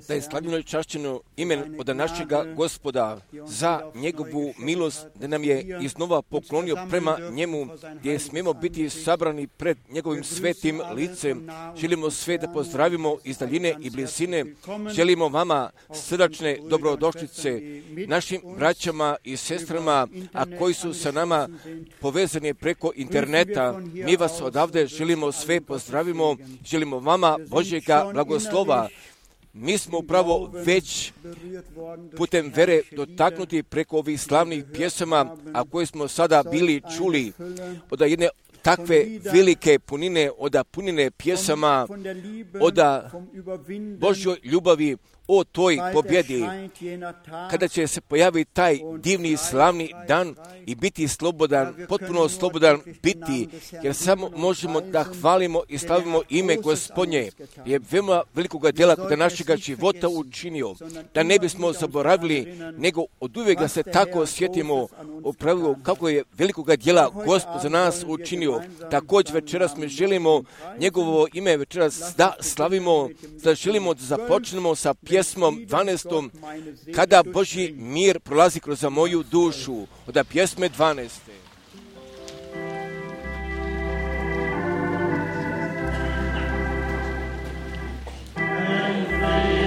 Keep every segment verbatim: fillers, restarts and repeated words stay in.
Da je slavljeno i čašćeno ime od našega Gospoda za njegovu milost, da nam je iznova poklonio prema njemu, gdje smijemo biti sabrani pred njegovim svetim licem. Želimo sve da pozdravimo iz daljine i blizine. Želimo vama srdačne dobrodošlice, našim braćama i sestrama, a koji su sa nama povezani preko interneta. Mi vas odavde želimo sve pozdravimo, želimo vama Božjega blagoslova. Mi smo upravo već putem vere dotaknuti preko ovih slavnih pjesama, a koje smo sada bili čuli od jedne takve velike punine, od punine pjesama, od Božjoj ljubavi, o toj pobjedi, kada će se pojaviti taj divni slavni dan i biti slobodan, potpuno slobodan biti, jer samo možemo da hvalimo i slavimo ime Gospodnje, je veoma velikoga djela kod našega života učinio, da ne bismo zaboravili, nego od uvijek da se tako sjetimo o pravilu kako je velikoga djela Gospod za nas učinio. Također večeras mi želimo njegovo ime večeras da slavimo, da želimo da započnemo sa pjesmom dvanaestom, kada Božji mir prolazi kroz moju dušu, od pjesme dvanaeste. Blau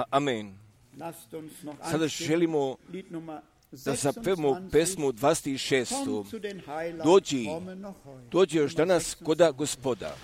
Amen. Sada želimo da zapevamo pesmu dvadeset šestu. Dođi, dođi još danas koda Gospoda.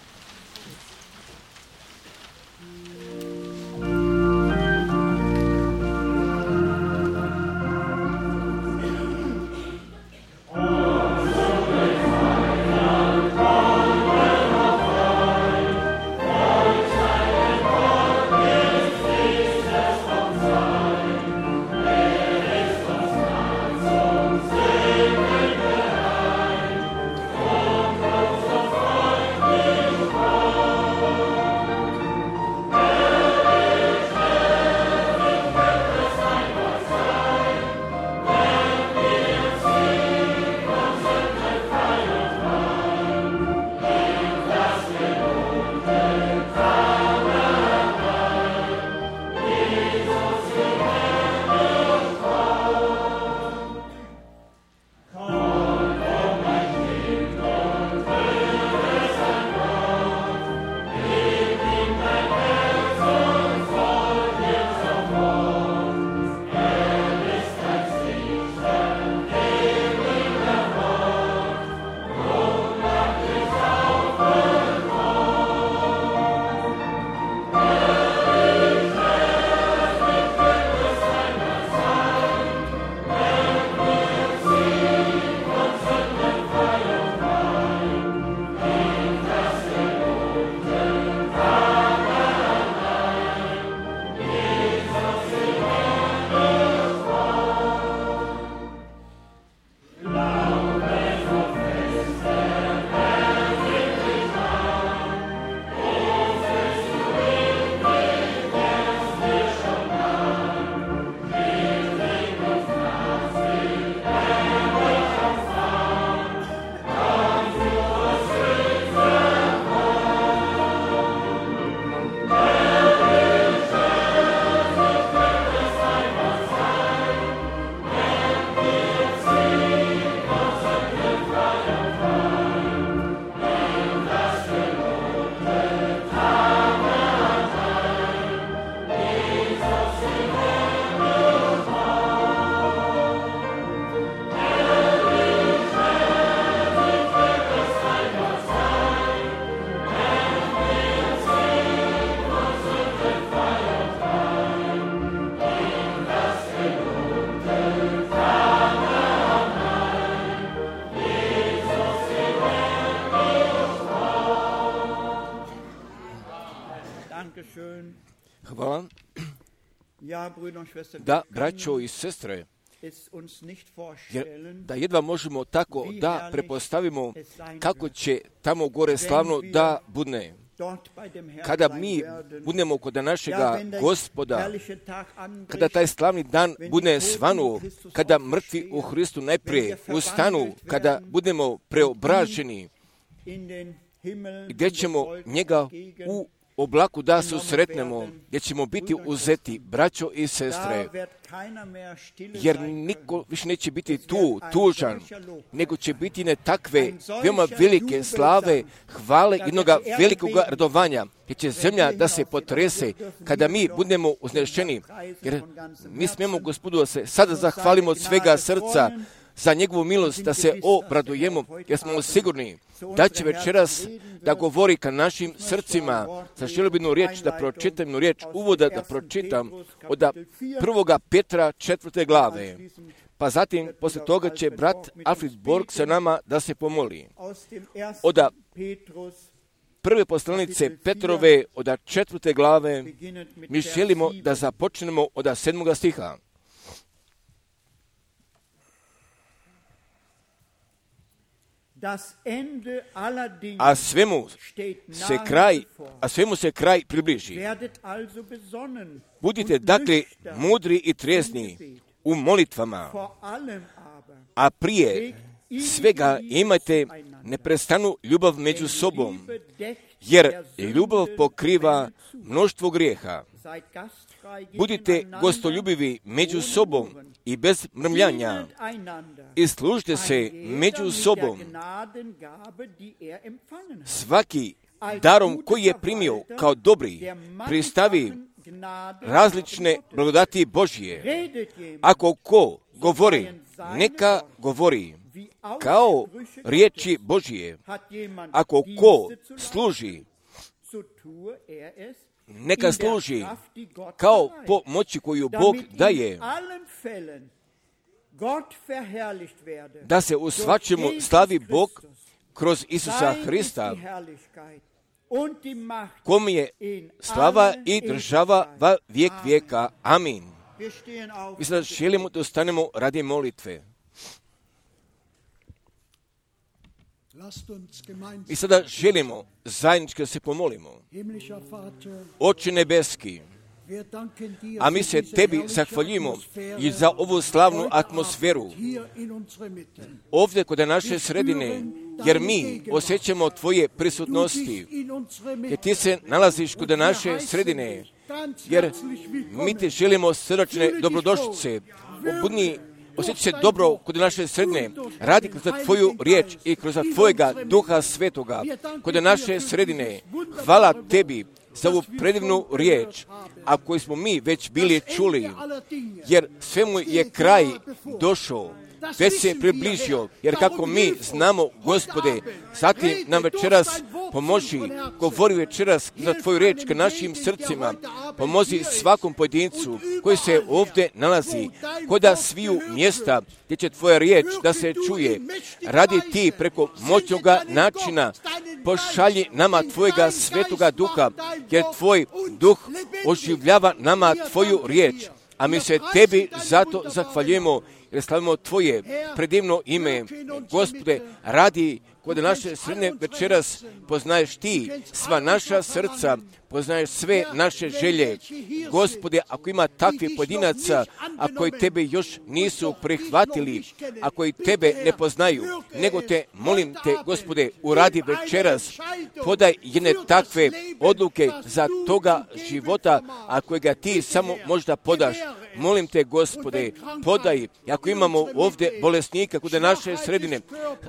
Hvala. Da, braćo i sestre, jer da jedva možemo tako da prepostavimo kako će tamo gore slavno da budne. Kada mi budemo kod našega Gospoda, kada taj slavni dan bude svanu, kada mrtvi u Hristu najprije ustanu, kada budemo preobraženi, gdje ćemo njega u oblaku da susretnemo, gdje ćemo biti uzeti, braćo i sestre, jer niko više neće biti tu, tužan, nego će biti ne takve veoma velike slave, hvale, jednoga velikoga radovanja, gdje će zemlja da se potrese kada mi budemo uznešeni, jer mi smijemo Gospodu da se sada zahvalimo od svega srca za njegovu milost, da se obradujemo, jer smo sigurni da će večeras da govori ka našim srcima. Sad želio bi jednu riječ da pročitam, jednu riječ uvoda da pročitam od prvoga Petra četvrte glave. Pa zatim, posle toga će brat Alfred Borg sa nama da se pomoli. Od prve poslanice Petrove, od četvrte glave, mi želimo da započnemo od sedmoga stiha. A svemu se kraj, a svemu se kraj približi. Budite dakle mudri i trijezni u molitvama, a prije svega imajte neprestanu ljubav među sobom, jer ljubav pokriva mnoštvo grijeha. Budite gostoljubivi među sobom i bez mrmljanja i služite se među sobom. Svaki darom koji je primio kao dobri pristavi različne blagodati Božje. Ako ko govori, neka govori kao riječi Božje. Ako ko služi, neka služi kao po moći koju Bog daje, da se u svačemu slavi Bog kroz Isusa Hrista, kom je slava i država va vijek vijeka. Amin. I sada želimo da ustanemo radi molitve. I sada želimo zajednički da se pomolimo. Oče nebeski, a mi se tebi zahvaljujemo i za ovu slavnu atmosferu ovdje kod naše sredine, jer mi osjećamo tvoje prisutnosti, jer ti se nalaziš kod naše sredine, jer mi te želimo srdačne dobrodošlice, obudni, osjeća se dobro kod naše sredine, radi kroz tvoju riječ i kroz tvojega Duha Svetoga kod naše sredine. Hvala tebi za ovu predivnu riječ, a koju smo mi već bili čuli, jer svemu je kraj došao, već se približio, jer kako mi znamo, Gospode, zatim nam večeras pomoži, govori večeras za tvoju riječ ka našim srcima, pomozi svakom pojedincu koji se ovdje nalazi, koda sviju mjesta gdje će tvoja riječ da se čuje. Radi ti preko moćnoga načina, pošalji nama tvojega Svetoga Duha, jer tvoj Duh oživljava nama tvoju riječ, a mi se tebi zato zahvaljujemo, jer slavimo tvoje predivno ime. Gospode, radi kod naše sredine večeras, poznaješ ti sva naša srca, poznaješ sve naše želje. Gospode, ako ima takvih pojedinaca, a koji tebe još nisu prihvatili, a koji tebe ne poznaju, nego te, molim te, Gospode, uradi večeras, podaj jedne takve odluke za toga života, a kojega ti samo možda podaš. Molim te, Gospode, podaj, ako imamo ovdje bolesnika kod naše sredine,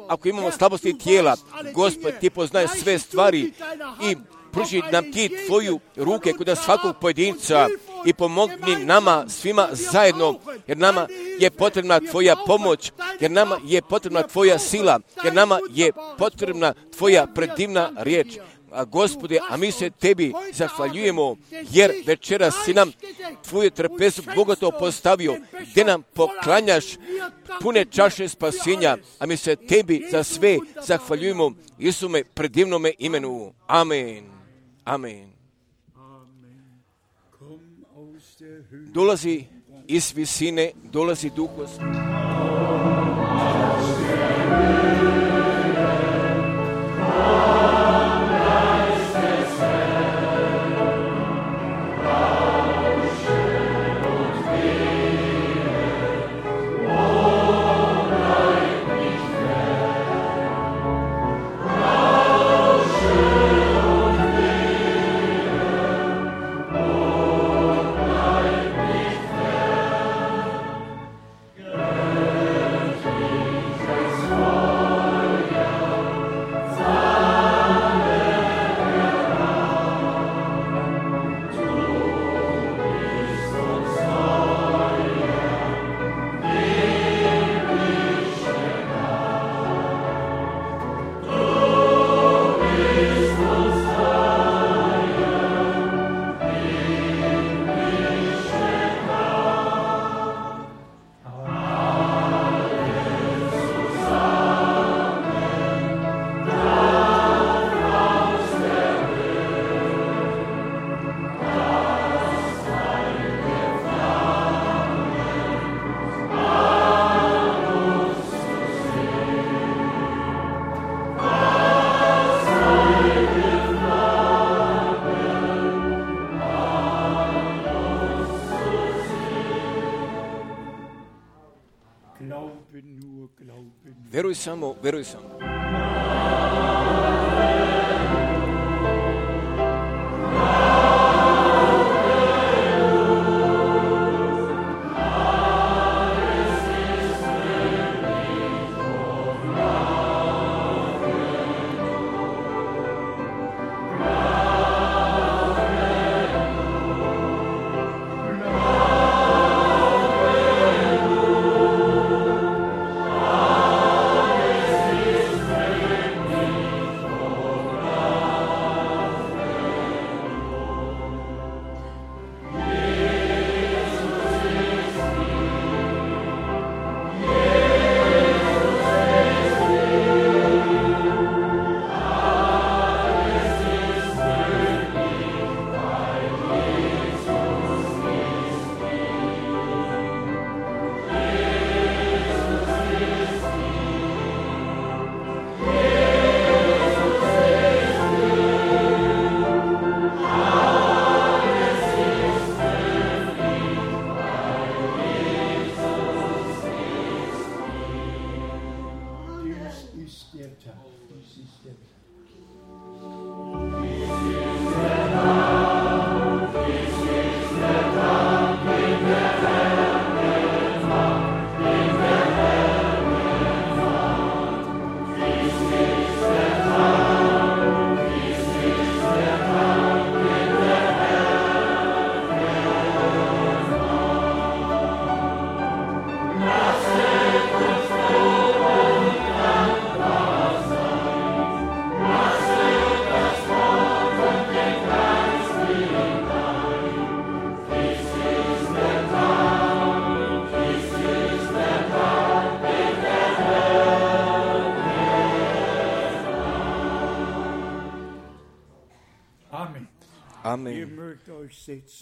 ako imamo slabosti tijela, Gospod, ti poznaješ sve stvari i pruži nam ti tvoju ruke kod svakog pojedinca i pomogni nama svima zajedno, jer nama je potrebna tvoja pomoć, jer nama je potrebna tvoja sila, jer nama je potrebna tvoja predivna riječ. A Gospode, a mi se tebi zahvaljujemo, jer večeras si nam tvoju trpezu bogato postavio, gdje nam poklanjaš pune čaše spasenja, a mi se tebi za sve zahvaljujemo Isume predivnome imenu. Amen. Amen. Dolazi iz visine, dolazi Duh Gospod. Veruj samo, veruj samo.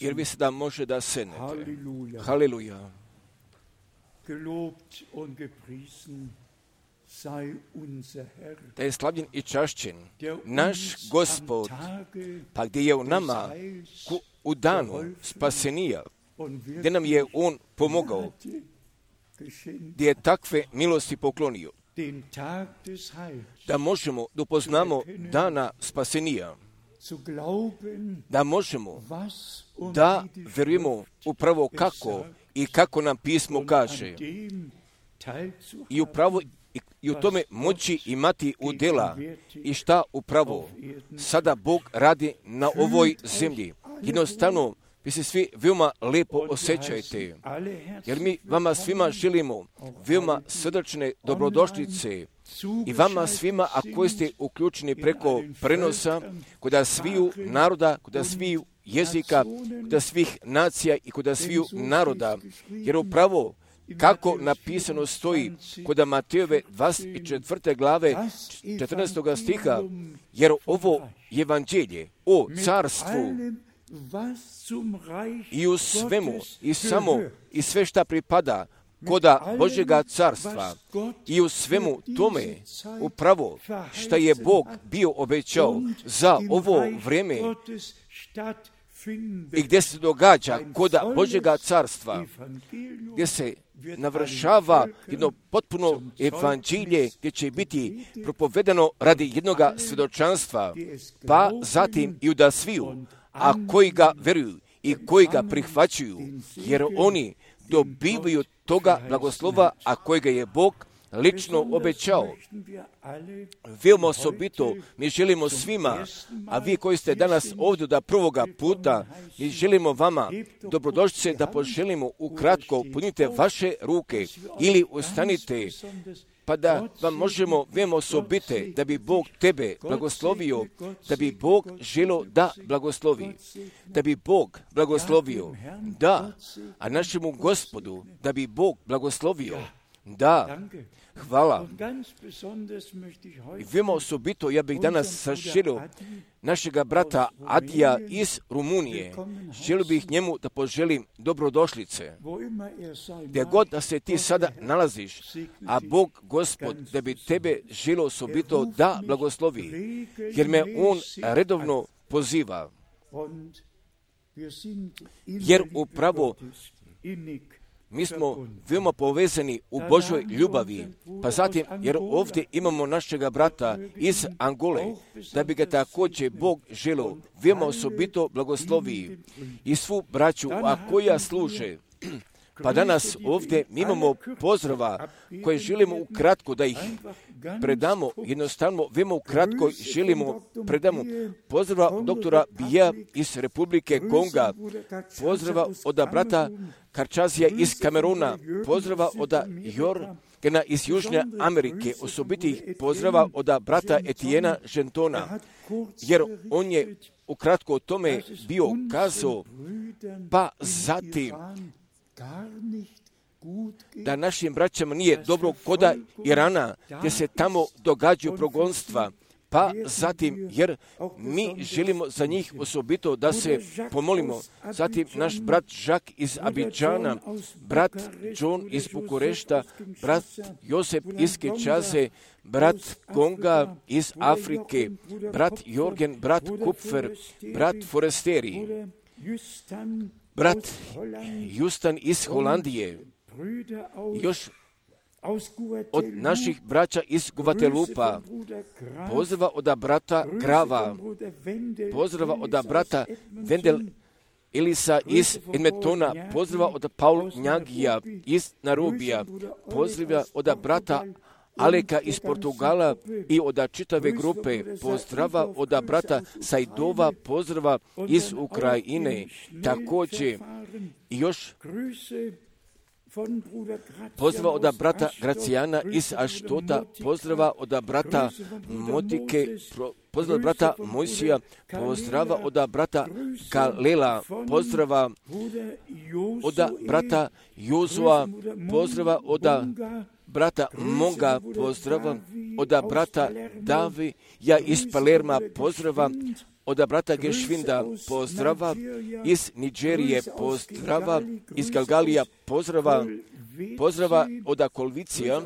jer vi sada može da sednete. Haleluja. Da je slavljen i čašćen naš Gospod, pa gdje je u nama u danu spasenija, gdje nam je On pomogao, gdje je takve milosti poklonio, da možemo da upoznamo dana spasenija, da možemo da verujemo upravo kako i kako nam pismo kaže i upravo i u tome moći imati udjela i šta upravo sada Bog radi na ovoj zemlji. Jednostavno, vi se svi veoma lepo osjećajte, jer mi vama svima želimo veoma srdačne dobrodošlice i vama svima, a koji ste uključeni preko prenosa, kod sviju naroda, kod sviju jezika, kod svih nacija i kod sviju naroda, jer upravo kako napisano stoji kod Matejove dvadeset četvrte glave četrnaestog stiha, jer ovo evanđelje o carstvu i u svemu i samo i sve šta pripada koda Božjega carstva i u svemu tome upravo šta je Bog bio obećao za ovo vrijeme i gdje se događa koda Božjega carstva, gdje se navršava jedno potpuno evanđelje gdje će biti propovedano radi jednog svjedočanstva, pa zatim i da sviju, a koji ga veruju i koji ga prihvaćuju, jer oni dobivaju toga blagoslova, a kojega je Bog lično obećao. Veoma osobito mi želimo svima, a vi koji ste danas ovdje da prvoga puta, mi želimo vama dobrodošlice da poželimo ukratko, punite vaše ruke ili ustanite, pa da vam možemo veoma osobite da bi Bog tebe blagoslovio, da bi Bog želio da blagoslovi, da bi Bog blagoslovio, da, a našemu Gospodu da bi Bog blagoslovio, da. Hvala. I veoma osobito ja bih danas saželio našega brata Adija iz Rumunije. Želio bih njemu da poželim dobrodošlice. Gdje god da se ti sada nalaziš, a Bog Gospod da bi tebe želio osobito da blagoslovi, jer me On redovno poziva. Jer upravo mi smo veoma povezani u Božoj ljubavi, pa zatim, jer ovdje imamo našega brata iz Angole, da bi ga također Bog želio veoma osobito blagoslovi i svu braću, a koja služe. Pa danas ovdje mi imamo pozdrava koje želimo ukratko da ih predamo, jednostavno veoma ukratko želimo predamo pozdrava doktora Bija iz Republike Konga, pozdrava od brata Karčazija iz Kameruna, pozdrava od Jorgena iz Južne Amerike, osobitih pozdrava od brata Etijena Žentona, jer on je ukratko o tome bio kazao, pa zatim da našim braćama nije dobro koda Irana, gdje se tamo događaju progonstva, pa zatim, jer mi želimo za njih osobito da se pomolimo. Zatim naš brat Žak iz Abidžana, brat John iz Bukurešta, brat Josep iz Kinčaze, brat Konga iz Afrike, brat Jorgen, brat Kupfer, brat Foresteri, brat Justan iz Holandije, još od naših braća iz Guvatelupa, pozdrava od brata Grava, pozdrava od brata Vendel Elisa iz Edmontona, pozdrava od Paul Njagija iz Narubija, pozdrava od brata Aleka iz Portugala i od čitave grupe, pozdrava od brata Sajdova, pozdrava iz Ukrajine, također i još pozdrava od brata Gracijana iz Aštota, pozdrava od brata Motike, pozdrava od brata Mojsija, pozdrava od brata Kalela, pozdrava od brata Jozua, pozdrava od brata Monga, pozdrava od brata Davija iz Palerma, pozdrava od brata Geschwinda pozdrava, iz Nigerije pozdrava, iz Galgalija pozdrava, pozdrava od Kolvicija,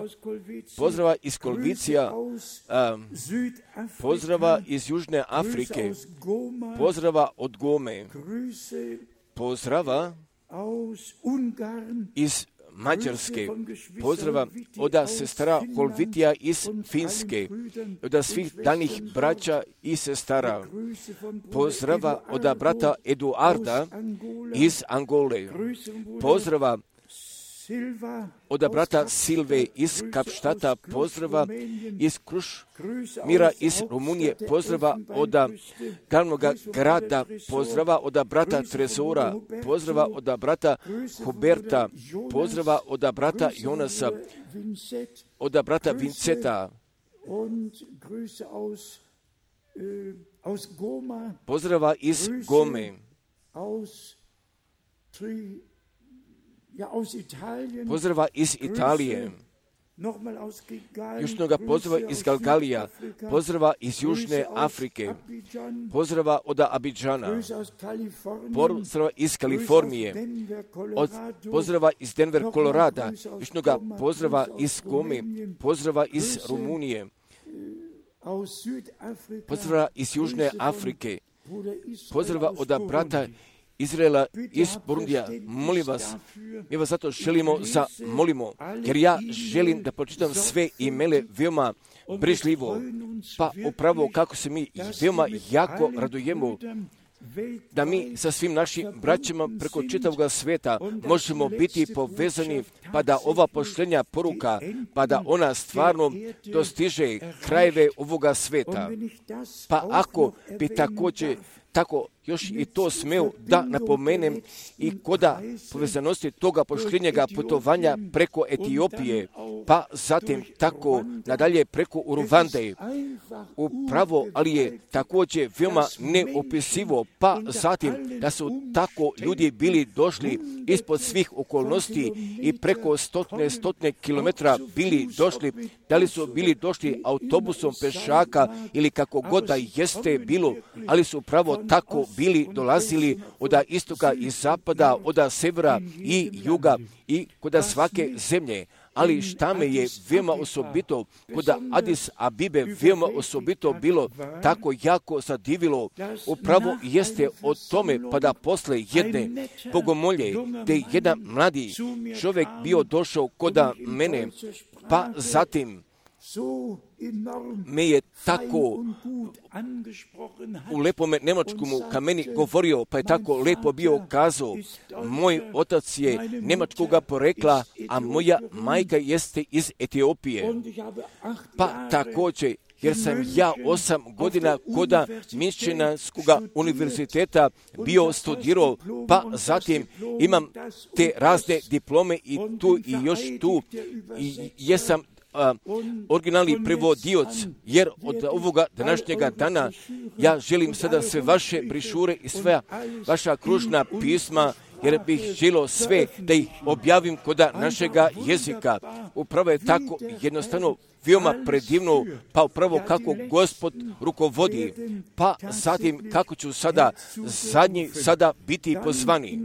pozdrava iz Kolvicija, um, pozdrava iz Južne Afrike, pozdrava od Gome, pozdrava iz Mađarske, pozdrava od sestara Kolvitija iz Finske, od svih danih braća i sestara, pozdrava od brata Eduarda iz Angole, pozdrava od brata Silve iz Kapštata, pozdrava iz Krušmira iz Rumunije, pozdrava od glavnog grada, pozdrava od brata Trezora, pozdrava od brata Huberta, pozdrava od brata Jonasa, od brata Vinceta, pozdrava iz Gome, pozdrava iz Italije, južnoga pozdrava iz Galgalija, pozdrava iz Južne Afrike, pozdrava od Abidžana, pozdrava iz Kalifornije, od pozdrava iz Denver, Kolorada, južnoga pozdrava iz Gome, pozdrava iz Rumunije, pozdrava iz Južne Afrike, pozdrava od brata Izraela iz Burundija. Molim vas, mi vas zato želimo za molimo, jer ja želim da pročitam sve imele veoma brižljivo, pa upravo kako se mi veoma jako radujemo da mi sa svim našim braćama preko čitavog sveta možemo biti povezani, pa da ova poštenja poruka, pa da ona stvarno dostiže krajeve ovoga sveta. Pa ako bi također tako još i to smeo da napomenem i koda povezanosti toga poštenjega putovanja preko Etiopije, pa zatim tako nadalje preko Uruvande, upravo, ali je također veoma neopisivo, pa zatim da su tako ljudi bili došli ispod svih okolnosti i preko stotne, stotne kilometra bili došli, da li su bili došli autobusom, pešaka ili kako god da jeste bilo, ali su upravo tako bili dolazili od istoka i zapada, od severa i juga i kod svake zemlje. Ali šta me je veoma osobito, kod Adis Abibe veoma osobito bilo tako jako zadivilo, upravo jeste o tome, pa da posle jedne bogomolje, gdje jedan mladi čovjek bio došao kod mene, pa zatim me je tako u lepome nemačkomu ka meni govorio, pa je tako lepo bio kazao, moj otac je nemačkoga porekla, a moja majka jeste iz Etiopije. Pa također, jer sam ja osam godina koda Michiganskoga univerziteta bio studirao, pa zatim imam te razne diplome i tu i još tu i jesam Uh, originalni prevodioc, jer od ovoga današnjega dana ja želim sada sve vaše brišure i sve vaša kružna pisma, jer bih želio sve da ih objavim kod našega jezika. Upravo je tako jednostavno veoma predivno, pa upravo kako Gospod rukovodi, pa zatim kako ću sada zadnji sada biti pozvani.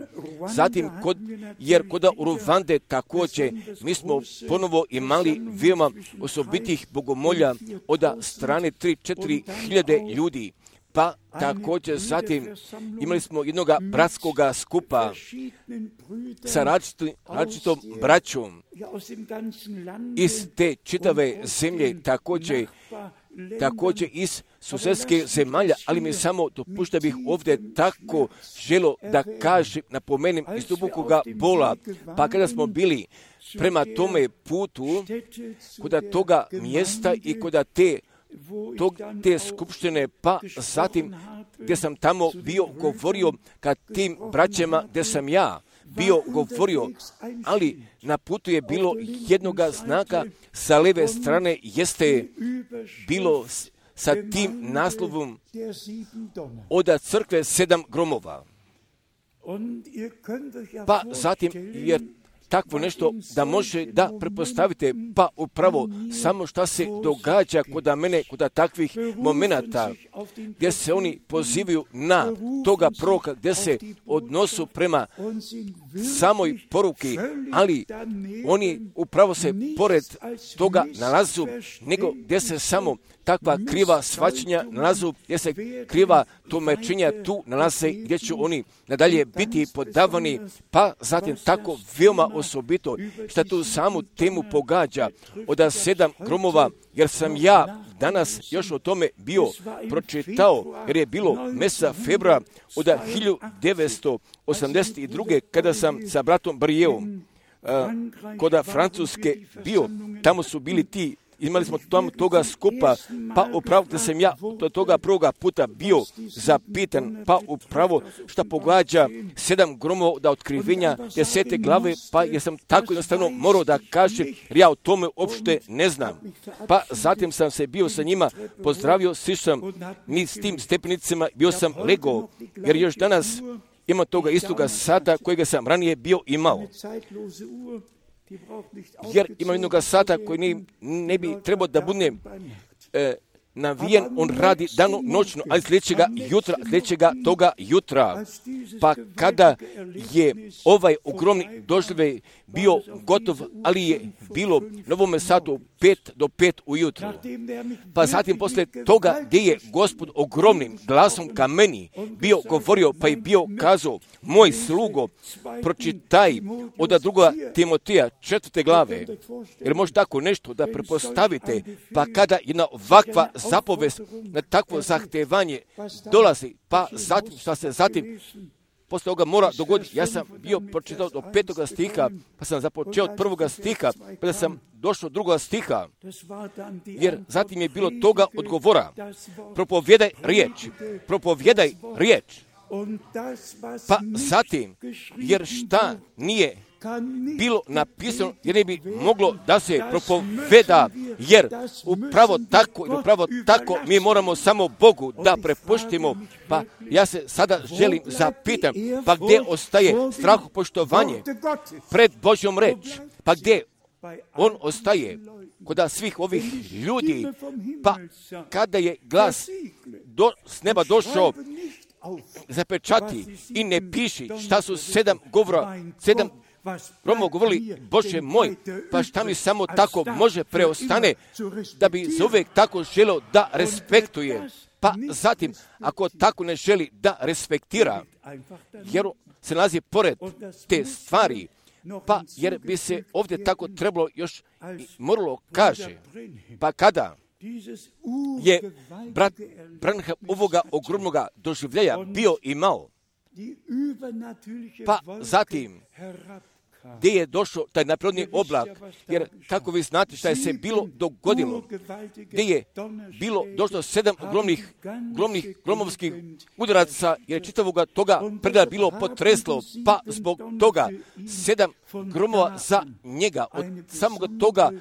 Zatim, kod, jer kod Uruvande također mi smo ponovo imali veoma osobitih bogomolja od strane tri četiri hiljade ljudi. Pa također zatim imali smo jednog bratskog skupa sa različitom, različitom braćom iz te čitave zemlje, također, također iz susjedske zemalja, ali mi samo dopušta bih ovdje tako želo da kažem, napomenem iz dubokoga bola, pa kada smo bili prema tome putu, kod toga mjesta i kod te Tog, te skupštine, pa zatim gdje sam tamo bio govorio ka tim braćama gdje sam ja bio govorio, ali na putu je bilo jednoga znaka sa leve strane, jeste bilo sa tim naslovom od crkve sedam gromova. Pa zatim, jer takvo nešto da može da prepostavite, pa upravo samo šta se događa kod mene, kod takvih momenata, gdje se oni pozivaju na toga proroka, gdje se odnosu prema samoj poruki, ali oni upravo se pored toga nalazu, nego gdje se samo takva kriva shvaćanja nalazu, gdje se kriva tumačenja tu nalaze, gdje će oni nadalje biti podavani, pa zatim tako veoma osobito, što tu samu temu pogađa od sedam gromova, jer sam ja danas još o tome bio pročitao, jer je bilo mjeseca februara od hiljadu devetsto osamdeset druge kada sam sa bratom Brijevom uh, kod Francuske bio, tamo su bili ti, imali smo tamo toga skupa, pa upravo da sam ja do toga prvoga puta bio zapitan, pa upravo šta pogađa sedam gromova da otkrivenja desete glave, pa jer sam tako jednostavno morao da kažem, jer ja o tome uopšte ne znam. Pa zatim sam se bio sa njima pozdravio, sišao sam ni s tim stepenicama, bio sam legao, jer još danas imam toga istoga sata kojega sam ranije bio imao. Jer imam jednog sata koji ne, ne bi trebao da bude e, navijen, on radi dano noćno, ali sljedećega jutra, sljedećega toga jutra, pa kada je ovaj ogromni doživljaj bio gotov, ali je bilo na ovome satu pet do pet ujutru. Pa zatim posle toga gdje je Gospod ogromnim glasom ka meni bio govorio, pa je bio kazao, moj slugo, pročitaj od druga Timoteja četvrte glave, jer može tako nešto da prepostavite, pa kada jedna ovakva zapovest na takvo zahtevanje dolazi, pa zatim šta se zatim posle toga mora dogoditi. Ja sam bio pročitao do petoga stiha, pa sam započeo od prvoga stiha, pa da sam došao do drugoga stiha, jer zatim je bilo toga odgovora. Propovjedaj riječ, propovjedaj riječ. Pa zatim, jer šta nije bilo napisano, jer ne bi moglo da se propoveda, jer upravo tako, upravo tako mi moramo samo Bogu da prepuštimo. Pa ja se sada želim zapitam, pa gdje ostaje strahopoštovanje pred Božjom reč? Pa gdje on ostaje kod svih ovih ljudi? Pa kada je glas do, s neba došao, zapečati i ne piši šta su sedam govora, sedam gromova govorili, Bože moj, pa šta mi samo tako može preostane da bi za uvijek tako želeo da respektuje. Pa zatim, ako tako ne želi da respektira, jer se nalazi pored te stvari, pa jer bi se ovdje tako trebalo još moralo kaže, pa kada je brat Branham ovoga ogromnoga doživljaja bio imao, pa zatim gdje je došao taj naprirodni oblak, jer kako vi znate šta je se bilo dogodilo, gdje je bilo došlo sedam gromnih, gromnih gromovskih udaraca, jer čitavoga toga preda bilo potreslo, pa zbog toga sedam gromova za njega, od samoga toga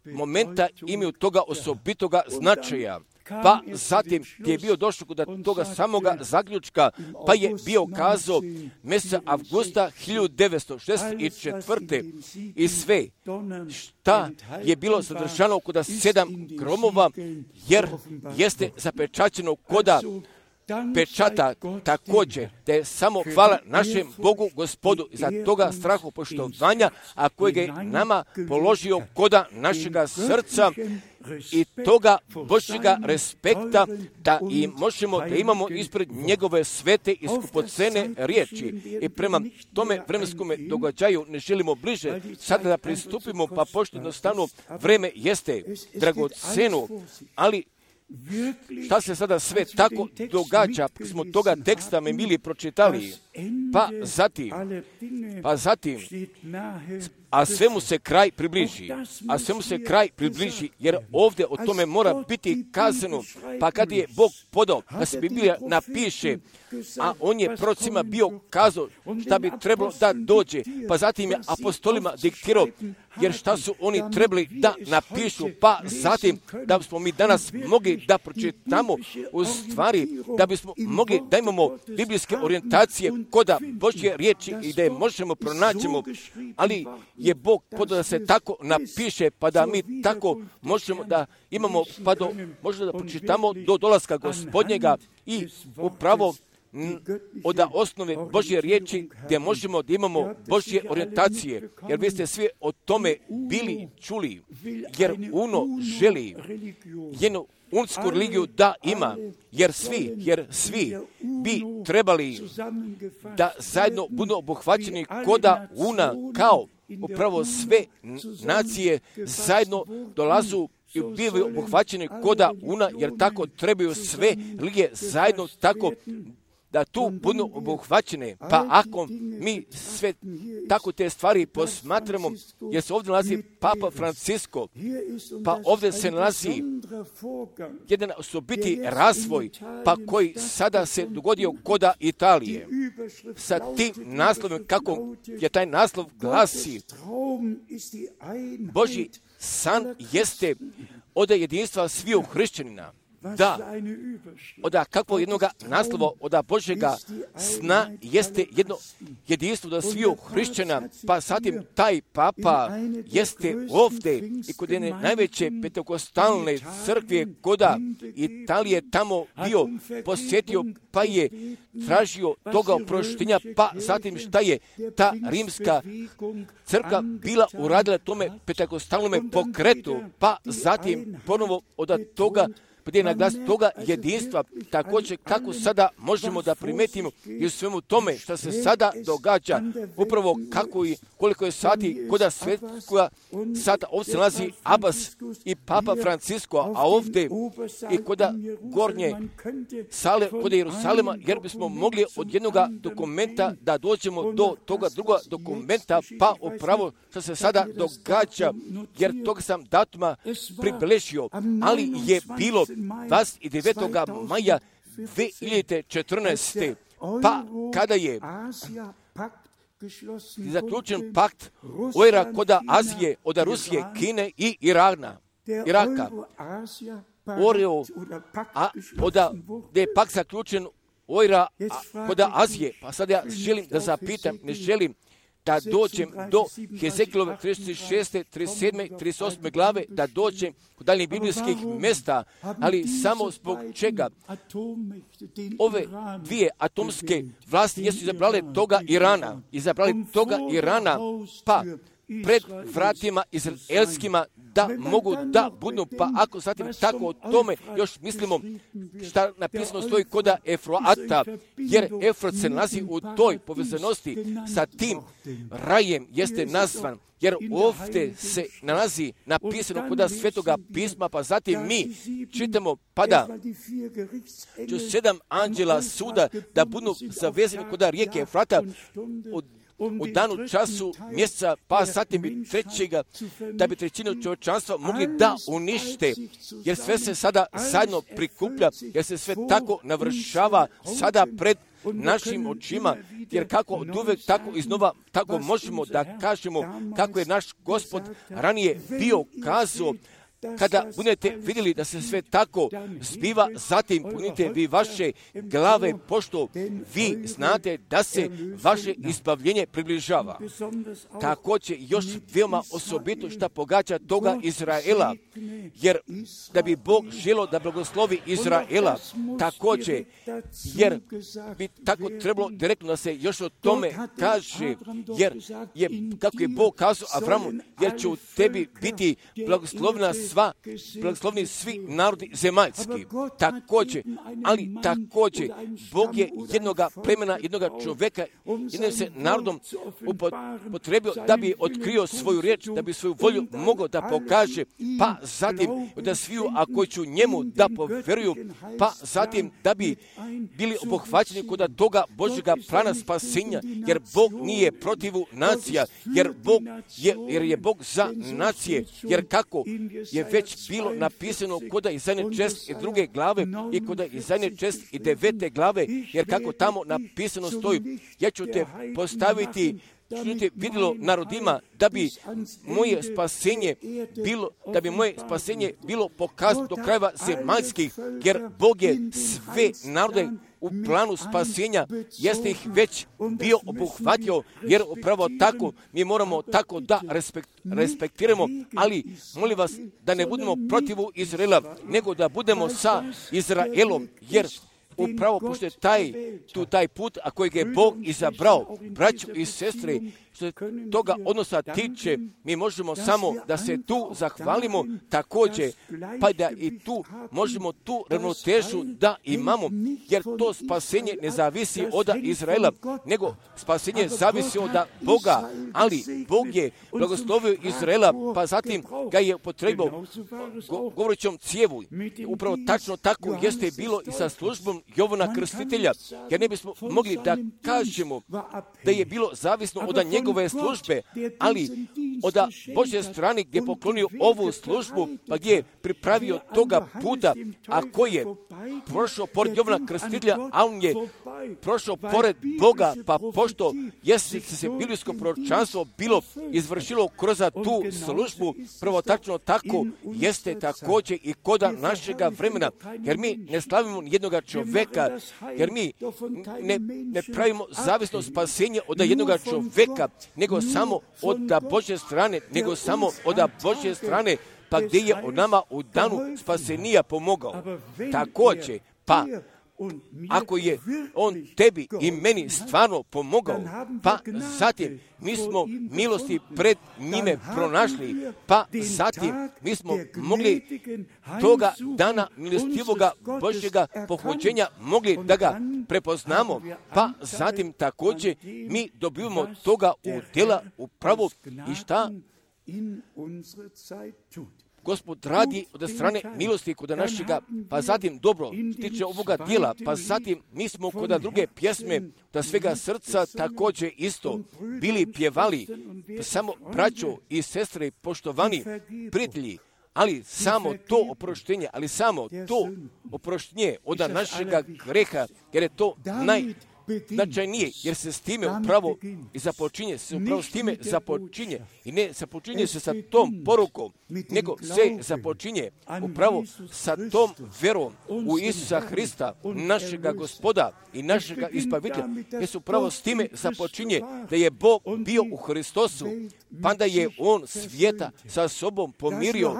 momenta imaju toga osobitoga značaja. Pa zatim je bio došao kod toga samoga zaključka, pa je bio kazao mjeseca avgusta hiljadu devetsto šezdeset četvrte i sve šta je bilo sadržano kod sedam gromova, jer jeste zapečaćeno koda pečata također, da je samo hvala našem Bogu Gospodu za toga strahopoštovanja, a kojeg je nama položio koda našega srca i toga Božjega respekta, da i možemo da imamo ispred njegove svete i skupocene riječi. I prema tome vremenskome događaju ne želimo bliže sada da pristupimo, pa pošto jednostavno vreme jeste dragoceno, ali šta se sada sve tako događa, smo toga teksta me mili pročitali, pa zatim, pa zatim, a svemu se kraj približi, a svemu se kraj približi, jer ovdje o tome mora biti kazano, pa kad je Bog podao da se Biblija napiše, a on je prorocima bio kazao šta bi trebalo da dođe, pa zatim je apostolima diktirao, jer šta su oni trebali da napišu, pa zatim da bismo mi danas mogli da pročitamo u stvari, da bismo mogli da imamo biblijske orijentacije koda Božje riječi i da je možemo pronaćemo, ali je Bog podao da se tako napiše, pa da mi tako možemo da imamo, pa do, možemo da pročitamo do dolaska Gospodnjega i upravo od osnove Božje riječi gdje možemo da imamo Božje orijentacije, jer vi ste svi o tome bili čuli, jer Uno želi jednu unsku religiju da ima, jer svi, jer svi bi trebali da zajedno budu obuhvaćeni koda Una, kao upravo sve nacije zajedno dolazu i bivaju obuhvaćeni koda Una, jer tako trebaju sve religije zajedno tako da tu budu obuhvaćene. Pa ako mi sve tako te stvari posmatramo, jer se ovdje nalazi Papa Francisko, pa ovdje se nalazi jedan osobiti razvoj, pa koji sada se dogodio koda Italije. Sa tim naslovom, kako je taj naslov glasi, Božji san jeste od jedinstva sviju hrišćanina. Da, od kakvog jednog naslova, od Božjega sna jeste jedno jedinstvo da sviju hrišćana, pa zatim taj papa jeste ovdje i kod jedne najveće pentekostalne crkve koda Italije tamo bio posjetio, pa je tražio toga oproštenja, pa zatim šta je ta rimska crkva bila uradila tome pentekostalnome pokretu, pa zatim ponovo od toga gdje je naglas toga jedinstva, također kako sada možemo da primetimo i u svemu tome što se sada događa, upravo kako i koliko je sati koda svetskoga sata, ovdje se nalazi Abbas i Papa Francisko, a ovdje i koda gornje sale, koda Jerusalema, jer bismo mogli od jednog dokumenta da dođemo do toga druga dokumenta, pa upravo što se sada događa, jer toga sam datuma pribeležio, ali je bilo dvadeset devetog maja dve hiljade četrnaeste. pa kada je zaključen pakt ojra koda Azije, od Rusije, Kine i Irana, Iraka. Oreo, a oda, gdje je pakt zaključen ojra koda Azije. Pa sad ja želim da zapitam, ne želim da dođem do Hezekilove trideset šeste, trideset sedme, trideset osme glave, da dođem kod daljnjih biblijskih mjesta, ali samo zbog čega ove dvije atomske vlasti jesu izabrale toga Irana, izabrali toga Irana, pa pred vratima izraelskima da mogu da budu, pa ako zatim tako o tome još mislimo šta napisano stoji koda Efroata, jer Efrat se nalazi u toj povezanosti sa tim rajem jeste nazvan, jer ovdje se nalazi napisano koda Svetoga pisma, pa zatim mi čitamo, pa da ću sedam anđela suda da budu zavezani koda rijeke Efrata od u danu, času, mjeseca, pa zatim bi trećega, da bi trećinu čovječanstva mogli da unište, jer sve se sada zajedno prikuplja, jer se sve tako navršava sada pred našim očima, jer kako od uvek, tako iznova, tako možemo da kažemo kako je naš Gospod ranije bio kazao. Kada budete vidjeli da se sve tako zbiva, zatim punite vi vaše glave, pošto vi znate da se vaše izbavljenje približava. Također još veoma osobito što pogađa toga Izraela, jer da bi Bog želio da blagoslovi Izraela, također, jer bi tako trebalo direktno da se još o tome kaže, jer je, kako je Bog kazao Avramu, jer će u tebi biti blagoslovna sva, blagoslovni svi narodi zemaljski. Također, ali također, Bog je jednoga plemena, jednoga čovjeka, jednim se narodom upotrebio da bi otkrio svoju riječ, da bi svoju volju mogao da pokaže, pa zatim da sviju, a koji ću njemu da poveruju, pa zatim da bi bili obuhvaćeni kod toga Božjega plana spasenja, jer Bog nije protivu nacija, jer Bog je, jer je Bog za nacije, jer kako je već bilo napisano koda Izaje šest i druge glave i koda Izaje šest i devete glave, jer kako tamo napisano stoji, ja ću te postaviti čujte vidjelo narodima da bi moje spasenje bilo, da bi moje spasenje bilo pokazano do krajeva zemaljskih, jer Bog je sve narode u planu spasenja, jeste ih već bio obuhvatio, jer upravo tako mi moramo tako da respekt, respektiramo, ali molim vas da ne budemo protivu Izraela, nego da budemo sa Izraelom, jer upravo pošto je taj, tu taj put, a kojeg je Bog izabrao, braćo i sestre, što se toga odnosa tiče, mi možemo samo da se tu zahvalimo također, pa da i tu možemo tu ravnotežu da imamo, jer to spasenje ne zavisi od Izraela, nego spasenje zavisi od Boga, ali Bog je blagoslovio Izraela, pa zatim ga je potrebao go, govorećom cijevu. Upravo tačno tako jeste bilo i sa službom Jovana Krstitelja, jer ne bismo mogli da kažemo da je bilo zavisno od njegove službe, ali od Božje strane gdje je poklonio ovu službu, pa gdje je pripravio toga puta, a koji je prošao pored Jovana Krstitelja, a on je prošao pored Boga, pa pošto jeste se biblijsko proročanstvo bilo izvršilo kroz tu službu, prvo tačno tako jeste također i koda našega vremena, jer mi ne slavimo jednoga čoveka, jer mi ne, ne pravimo zavisno spasenje od jednoga čoveka, nego samo od Božje strane, nego samo od Božje strane, pa gdje je on nama u danu spasenija pomogao. Također, pa ako je on tebi i meni stvarno pomogao, pa zatim mi smo milosti pred njime pronašli, pa zatim mi smo mogli toga dana milostivoga Božjega pohođenja mogli da ga prepoznamo, pa zatim također mi dobivamo toga u djela upravo i šta Gospod radi od strane milosti kod našega, pa zatim dobro tiče ovoga dijela, pa zatim mi smo kod druge pjesme da svega srca također isto bili pjevali, samo braćo i sestre poštovani prijatelji, ali samo to oproštenje, ali samo to oproštenje od našega greha, jer je to naj značajnije, jer se s time upravo i započinje, se upravo s time započinje i ne započinje se sa tom porukom, nego se započinje upravo sa tom verom u Isusa Hrista, našega Gospoda i našega Izbavitelja, jer se upravo s time započinje da je Bog bio u Hristosu, pa da je On svijeta sa sobom pomirio,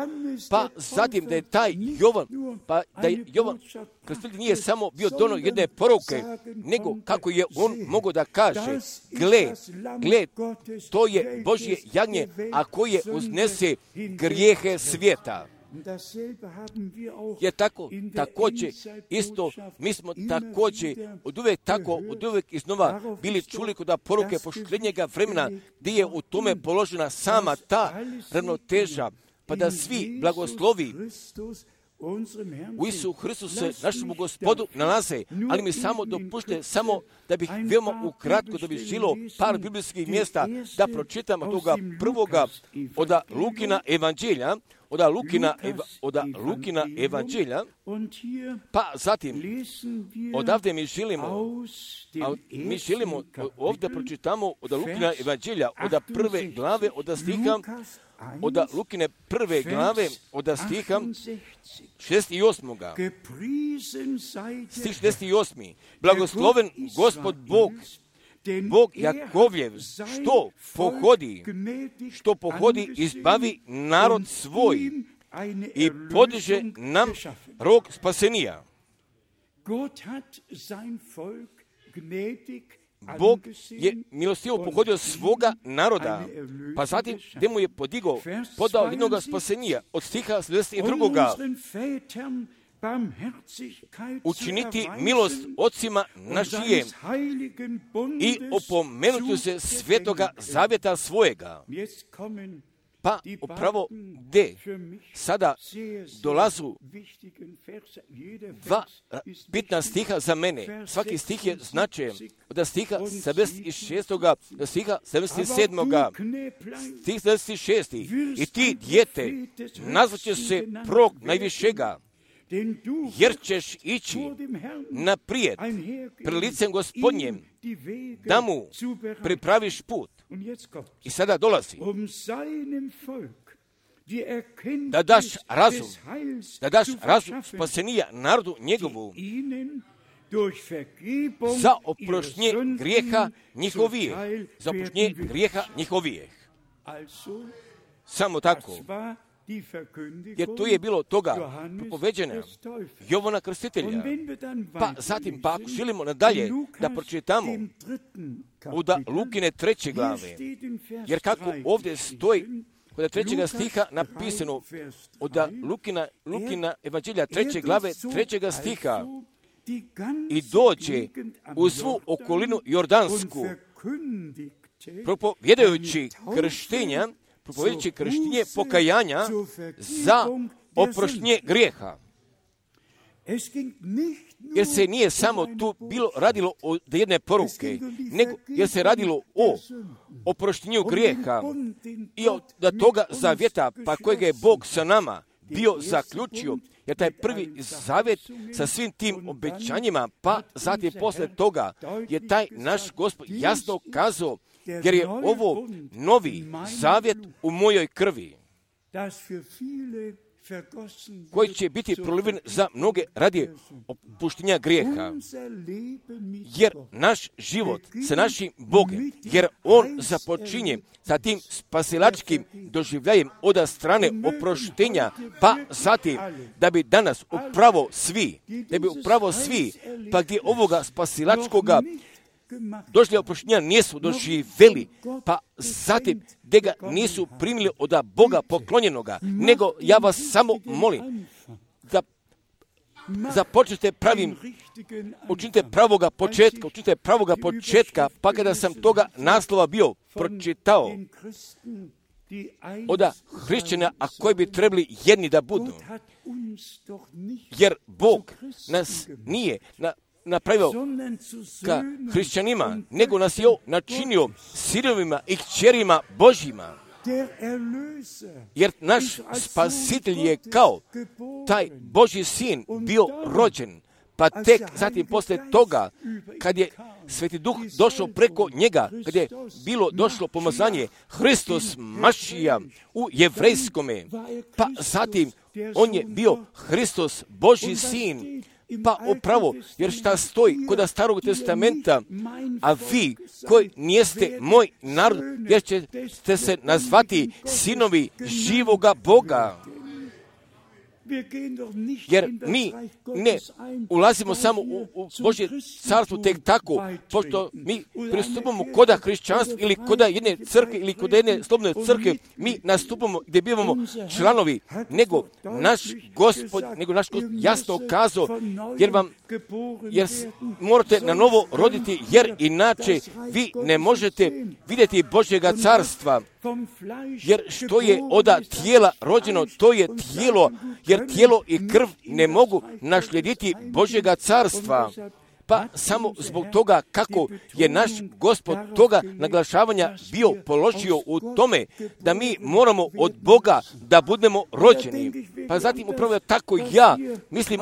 pa zatim da je taj Jovan, pa da je Jovan Krstitelj nije samo bio dono jedne poruke, nego kako je on mogao da kaže, gle, gle, to je Božje jagnje, a koje uznese grijehe svijeta. Je tako, također, isto, mi smo također od uvijek tako, od uvijek iznova bili čuli kod poruke poštenjega vremena, gdje je u tome položena sama ta ravnoteža, pa da svi blagoslovi u Isu Hristu se našemu Gospodu nalaze, ali mi samo dopušte, samo da bih veoma ukratko da bih žilo par biblijskih mjesta da pročitam toga prvoga od Lukina evanđelja, od Lukina, eva, od Lukina evanđelja, pa zatim odavde mi želimo, a mi želimo ovdje pročitamo od Lukina evanđelja, od prve glave, od stiha, od Lukine prve glave, od stiha šezdeset i osmoga. Stih šezdeset osmi. Blagosloven Gospod Bog, Bog Jakovljev, što pohodi, što pohodi izbavi narod svoj i podiže nam rog spasenija. Bog je milostivo pohodio svoga naroda, pa zatim gdje mu je podigao, podao jednog spasenija od stiha šezdeset drugoga. Učiniti milost ocima našijem i opomenuti se svetoga zavjeta svojega. Pa upravo gdje sada dolazu dva bitna stiha za mene. Svaki stih je značajan. Od stiha sedamdeset šest. do stiha sedamdeset sedam. Stih sedamdeset šest. I ti, dijete, nazvaće se prorok najvišega, jer ćeš ići naprijed pred licem Gospodnjem, da mu pripraviš put. I sada dolazi da daš razum, da daš razum spasenija narodu njegovu za oproštenje grijeha njihovih, za oproštenje grijeha njihovih. Samo tako. Jer to je bilo toga propoveđena Jovana Krstitelja. Pa zatim, pa ako želimo nadalje da pročitamo od Lukine treće glave, jer kako ovdje stoji kod trećega stiha napisano od Lukina, Lukina evanđelja treće glave, trećega stiha, i dođe u svu okolinu Jordansku, propovjedajući krštenja, propovjedajući krštenje pokajanja za oproštenje grijeha. Jer se nije samo tu bilo radilo o jedne poruke, nego jer se radilo o oproštenju grijeha i od toga zavjeta, pa kojega je Bog sa nama bio zaključio, jer taj prvi zavjet sa svim tim obećanjima, pa zatim posle toga je taj naš Gospod jasno kazao, jer je ovo novi zavjet u mojoj krvi, koji će biti proliven za mnoge radi opuštenja grijeha. Jer naš život sa našim Bogom, jer On započinje sa tim spasilačkim doživljajem od strane oproštenja, pa zatim da bi danas upravo svi, da bi upravo svi, pa gdje ovoga spasilačkoga došli oproštenja nisu doživjeli, pa zatim gdje ga nisu primili od Boga poklonjenoga, nego ja vas samo molim da započnete pravim, učinite pravoga početka, učinite pravoga početka, pa kada sam toga naslova bio pročitao od hrišćana, a koji bi trebali jedni da budu, jer Bog nas nije na napravio ka hrišćanima, nego nas je načinio sinovima i kćerima Božjima. Jer naš spasitelj je kao taj Božji sin bio rođen, pa tek zatim posle toga, kad je Sveti Duh došao preko njega, kad je bilo došlo pomazanje Hristos Mašija u jevrejskome, pa zatim on je bio Hristos Božji sin. Pa upravo, jer šta stoji kod Starog testamenta, a vi koji nijeste moj narod, jer ćete se nazvati sinovi živoga Boga. Jer mi ne ulazimo samo u, u Božje carstvo tek tako, pošto mi pristupamo koda hrišćanstva ili koda jedne crkve ili koda jedne slobodne crkve, mi nastupamo gdje bivamo članovi, nego naš Gospod, nego naš Gospod jasno kazao, jer vam, jer morate na novo roditi, jer inače vi ne možete vidjeti Božjega carstva. Jer što je od tijela rođeno, to je tijelo, jer tijelo i krv ne mogu naslijediti Božjega carstva. Pa samo zbog toga kako je naš Gospod toga naglašavanja bio položio u tome da mi moramo od Boga da budemo rođeni. Pa zatim upravo tako ja mislim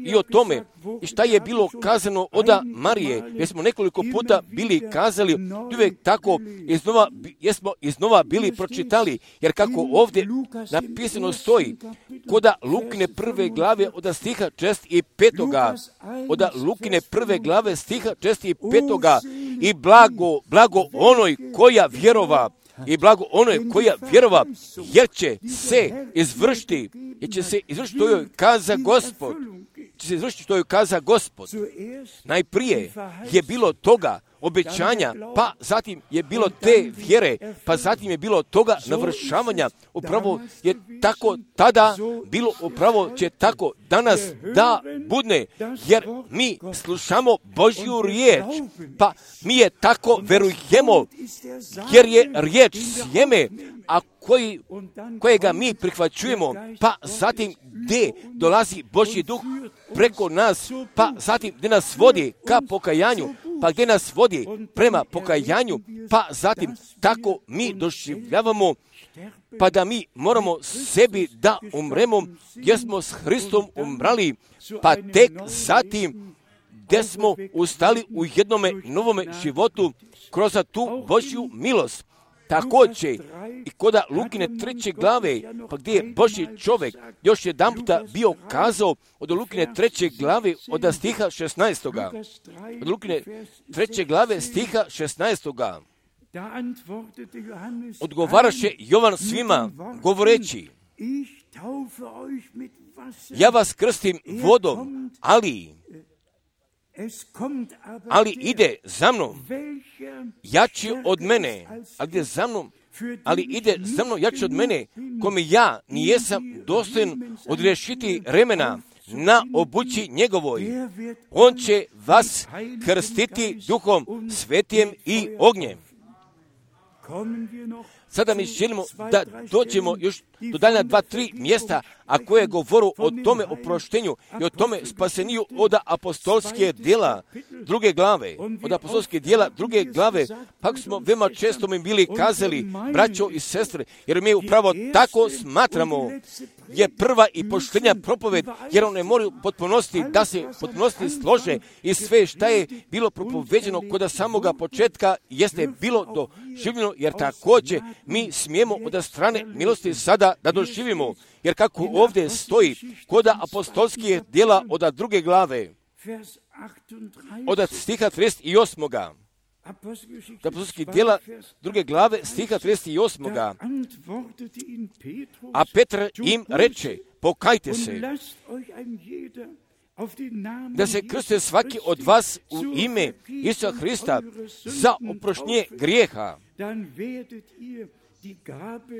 i o tome i šta je bilo kazano od Marije, jer smo nekoliko puta bili kazali, uvijek tako iznova, jesmo iznova bili pročitali, jer kako ovdje napisano stoji, koda Lukine prve glave od stiha čest i petoga, od Lukine prve glave stiha čest i petoga, i blago, blago onoj koja vjerova, i blago onoj koja vjerova, jer će se izvršiti, jer će se izvršiti što joj kaza Gospod, će se izvršiti što joj kaza Gospod. Najprije je bilo toga obećanja, pa zatim je bilo te vjere, pa zatim je bilo toga navršavanja. Upravo je tako tada bilo, upravo će tako danas da budne, jer mi slušamo Božju riječ, pa mi je tako verujemo, jer je riječ sjeme, a koji, kojega mi prihvaćujemo, pa zatim gdje dolazi Božji duh preko nas, pa zatim gdje nas vodi ka pokajanju, pa gdje nas vodi prema pokajanju, pa zatim tako mi doživljavamo, pa da mi moramo sebi da umremo, jer smo s Hristom umrali, pa tek zatim gdje smo ustali u jednome novome životu kroz tu Božju milost. Također i kod Lukine treće glave, pa gdje je Božji čovjek još jedan puta bio kazao od Lukine treće glave od stiha šesnaestoga. Od Lukine treće glave stiha šesnaestoga. Odgovaraše Jovan svima govoreći: ja vas krstim vodom, ali ali ide za mnom jači od mene, a gdje za mnom, ali ide za mnom jači od mene, kome ja nijesam dostojan odriješiti remena na obući njegovoj. On će vas krstiti duhom svetijem i ognjem. Sada mi želimo da dođemo još do daljna dva, tri mjesta, a koje govoru o tome oproštenju i o tome spaseniju od apostolske djela druge glave. Od apostolske djela druge glave, pak smo veoma često mi bili kazali, braćo i sestre, jer mi upravo tako smatramo, je prva i poštenja propoved, jer one moraju potpunosti da se potpunosti slože i sve šta je bilo propoveđeno kod samoga početka jeste bilo doživljeno, jer također mi smijemo od strane milosti sada da doživimo, jer kako ovdje stoji kod apostolskih djela od druge glave, od stiha trideset osmoga. Apostolskih djela druge glave stiha trideset osmoga. A Petar im reče: pokajte se, da se krste svaki od vas u ime Isusa Hrista za oproštenje grijeha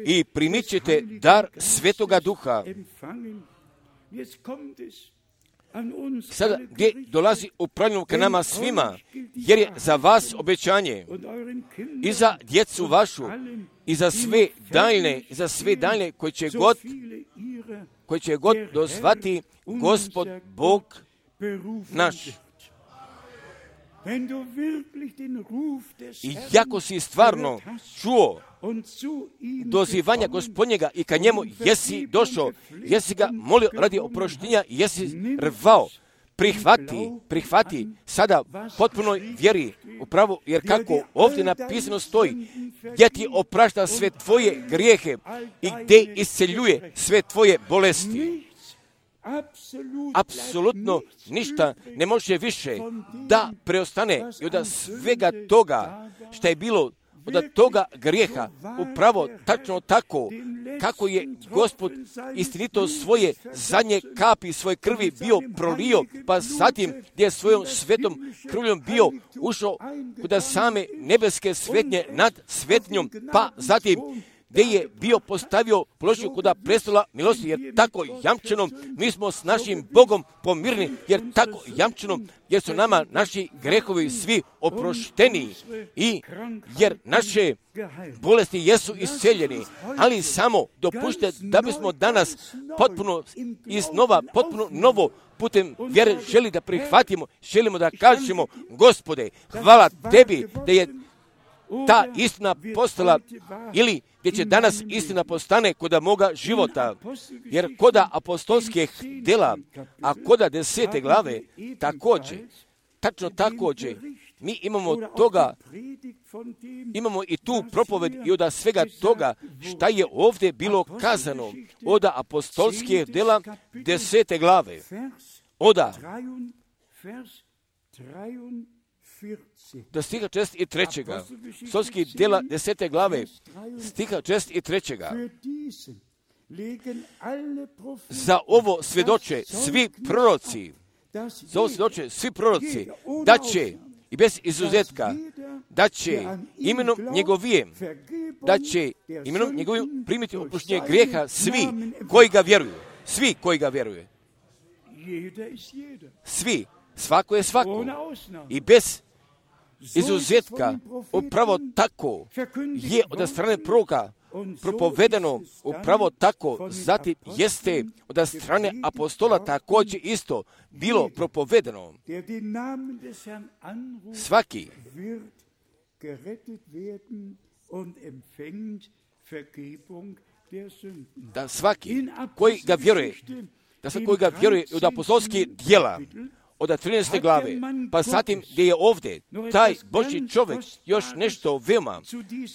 i primit ćete dar Svetoga Duha. Sada gdje dolazi upravljeno ka nama svima, jer je za vas obećanje i za djecu vašu i za sve daljne, i za sve daljne koji će god, koji će god dozvati Gospod Bog naš. I jako si stvarno čuo dozivanja Gospodnjega i ka njemu jesi došao, jesi ga molio radi oproštenja, jesi rvao, prihvati, prihvati sada potpunoj vjeri upravo, jer kako ovdje napisano stoji, gdje ti oprašta sve tvoje grijehe i gdje isceljuje sve tvoje bolesti. Apsolutno ništa ne može više da preostane i od svega toga što je bilo od toga grijeha, upravo tačno tako kako je Gospod istinito svoje zadnje kapi svoje krvi bio prolio, pa zatim gdje je svojom svetom krvljom bio ušao kod same nebeske svetnje nad svetnjom, pa zatim gdje je bio postavio ploču kod prestola milosti, jer tako jamčeno mi smo s našim Bogom pomirni, jer tako jamčeno, jer su nama naši grehovi svi oprošteni i jer naše bolesti jesu isceljeni, ali samo dopušte da bismo danas potpuno iznova, potpuno novo putem vjere želi da prihvatimo, želimo da kažemo: Gospode, hvala tebi da je ta istina postala, ili gdje će danas istina postane koda moga života, jer koda apostolskih djela, a koda desete glave, također, tačno također, mi imamo toga, imamo i tu propoved i od svega toga šta je ovdje bilo kazano od apostolskih djela desete glave, oda do stiha čest i trećega. Apostolskih djela desete glave, stiha čest i trećega. Za ovo svjedoče svi proroci, za ovo svjedoče svi proroci, da će, i bez izuzetka, da će imenom njegovim, da će imenom njegovim primiti oproštenje grijeha svi koji ga vjeruju. Svi koji ga vjeruju. Svi. Svako je svako. I bez izuzetka upravo tako je od strane proroka propovedano, upravo tako, zatim jeste od strane apostola također isto bilo propovedano. Svaki da svaki koji ga vjeruje, da svaki koji ga vjeruje od apostolskih djela, od trinaeste glave, pa zatim gdje je ovdje taj Božji čovjek još nešto veoma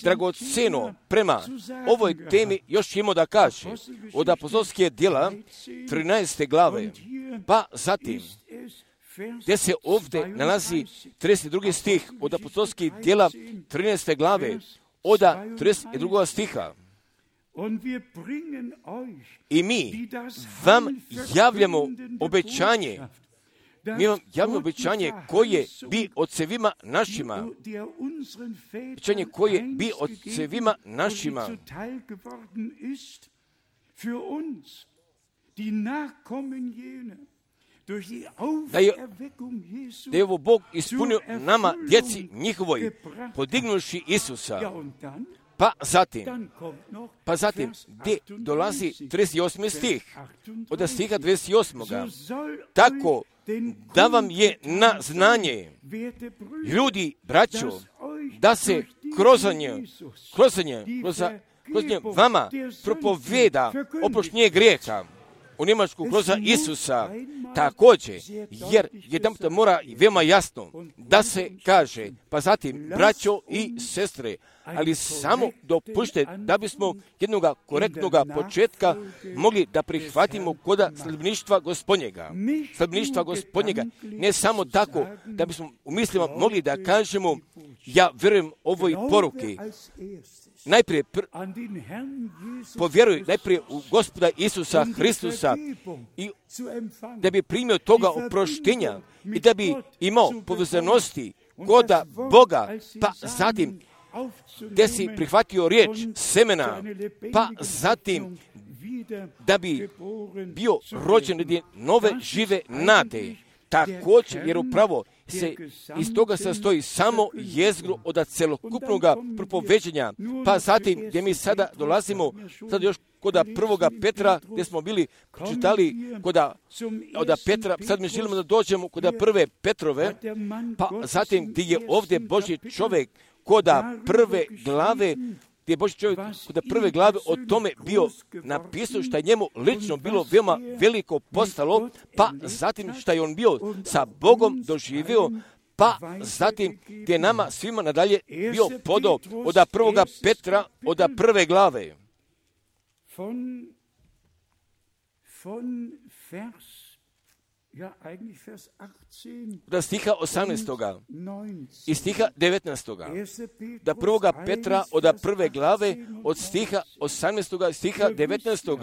dragoceno prema ovoj temi još imao da kaže od apostolskih djela trinaeste glave, pa zatim gdje se ovdje nalazi trideset drugi stih od apostolskih djela trinaeste glave, od trideset drugog stiha. I mi vam javljamo obećanje, mi vam javljamo obećanje koje bi ocevima našima, obećanje koje bi ocevima našima, da je, da je ovo Bog ispunio nama, djeci njihovoj, podignuši Isusa. Pa zatim, pa zatim, gdje dolazi trideset osmi stih, od stiha trideset osmog Tako da vam je na znanje, ljudi, braćo, da se kroz nje, kroz nje, kroz, kroz nje vama propoveda oproštenje grijeha. U Njemačku kroz Isusa također, jer jedan put mora veoma jasno da se kaže, pa zatim, braćo i sestre, ali samo dopušte da bismo jednog korektnog početka mogli da prihvatimo koda sljedbeništva Gospodnjega. Sljedbeništva Gospodnjega, ne samo tako da bismo u mislima mogli da kažemo, ja vjerujem ovoj poruki. Najprije pr- povjeruj najprije u Gospoda Isusa Hristusa i da bi primio toga oproštenja i da bi imao povezanosti koda Boga, pa zatim gdje si prihvatio riječ semena, pa zatim da bi bio rođen od nove žive nade. Također, jer upravo se iz toga sastoji samo jezgro od celokupnog propoveđenja, pa zatim gdje mi sada dolazimo, sad još kod prvoga Petra, gdje smo bili čitali kod od Petra, sad mi želimo da dođemo kod prve Petrove, pa zatim gdje je ovdje Božji čovjek kod prve glave, gdje je Božji čovjek kod prve glave o tome bio napisao što je njemu lično bilo veoma veliko postalo, pa zatim što je on bio sa Bogom doživio, pa zatim gdje je nama svima nadalje bio podao od prvoga Petra, od prve glave. Da stiha osamnaestog i stiha devetnaestog Da prvoga Petra od prve glave od stiha osamnaestog stiha devetnaestog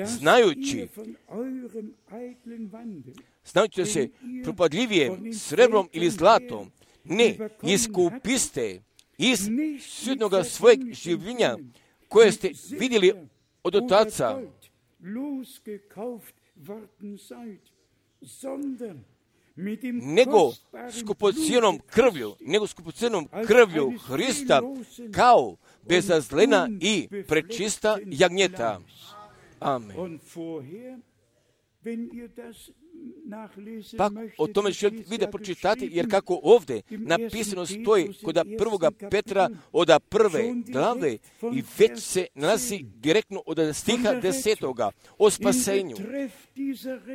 Znajući, znajući da se propadljivije srebrom ili zlatom ne iskupiste iz sudnoga svojeg življenja koje ste vidjeli od Otaca, nego skupocijenom krvlju, nego skupocijenom krvlju Hrista kao bezazlena i prečista jagnjeta. Amen. Pa o tome želite vi da pročitati, jer kako ovdje napisano stoji kod prvoga Petra od prve glave i već se nalazi direktno od stiha desetoga o spasenju,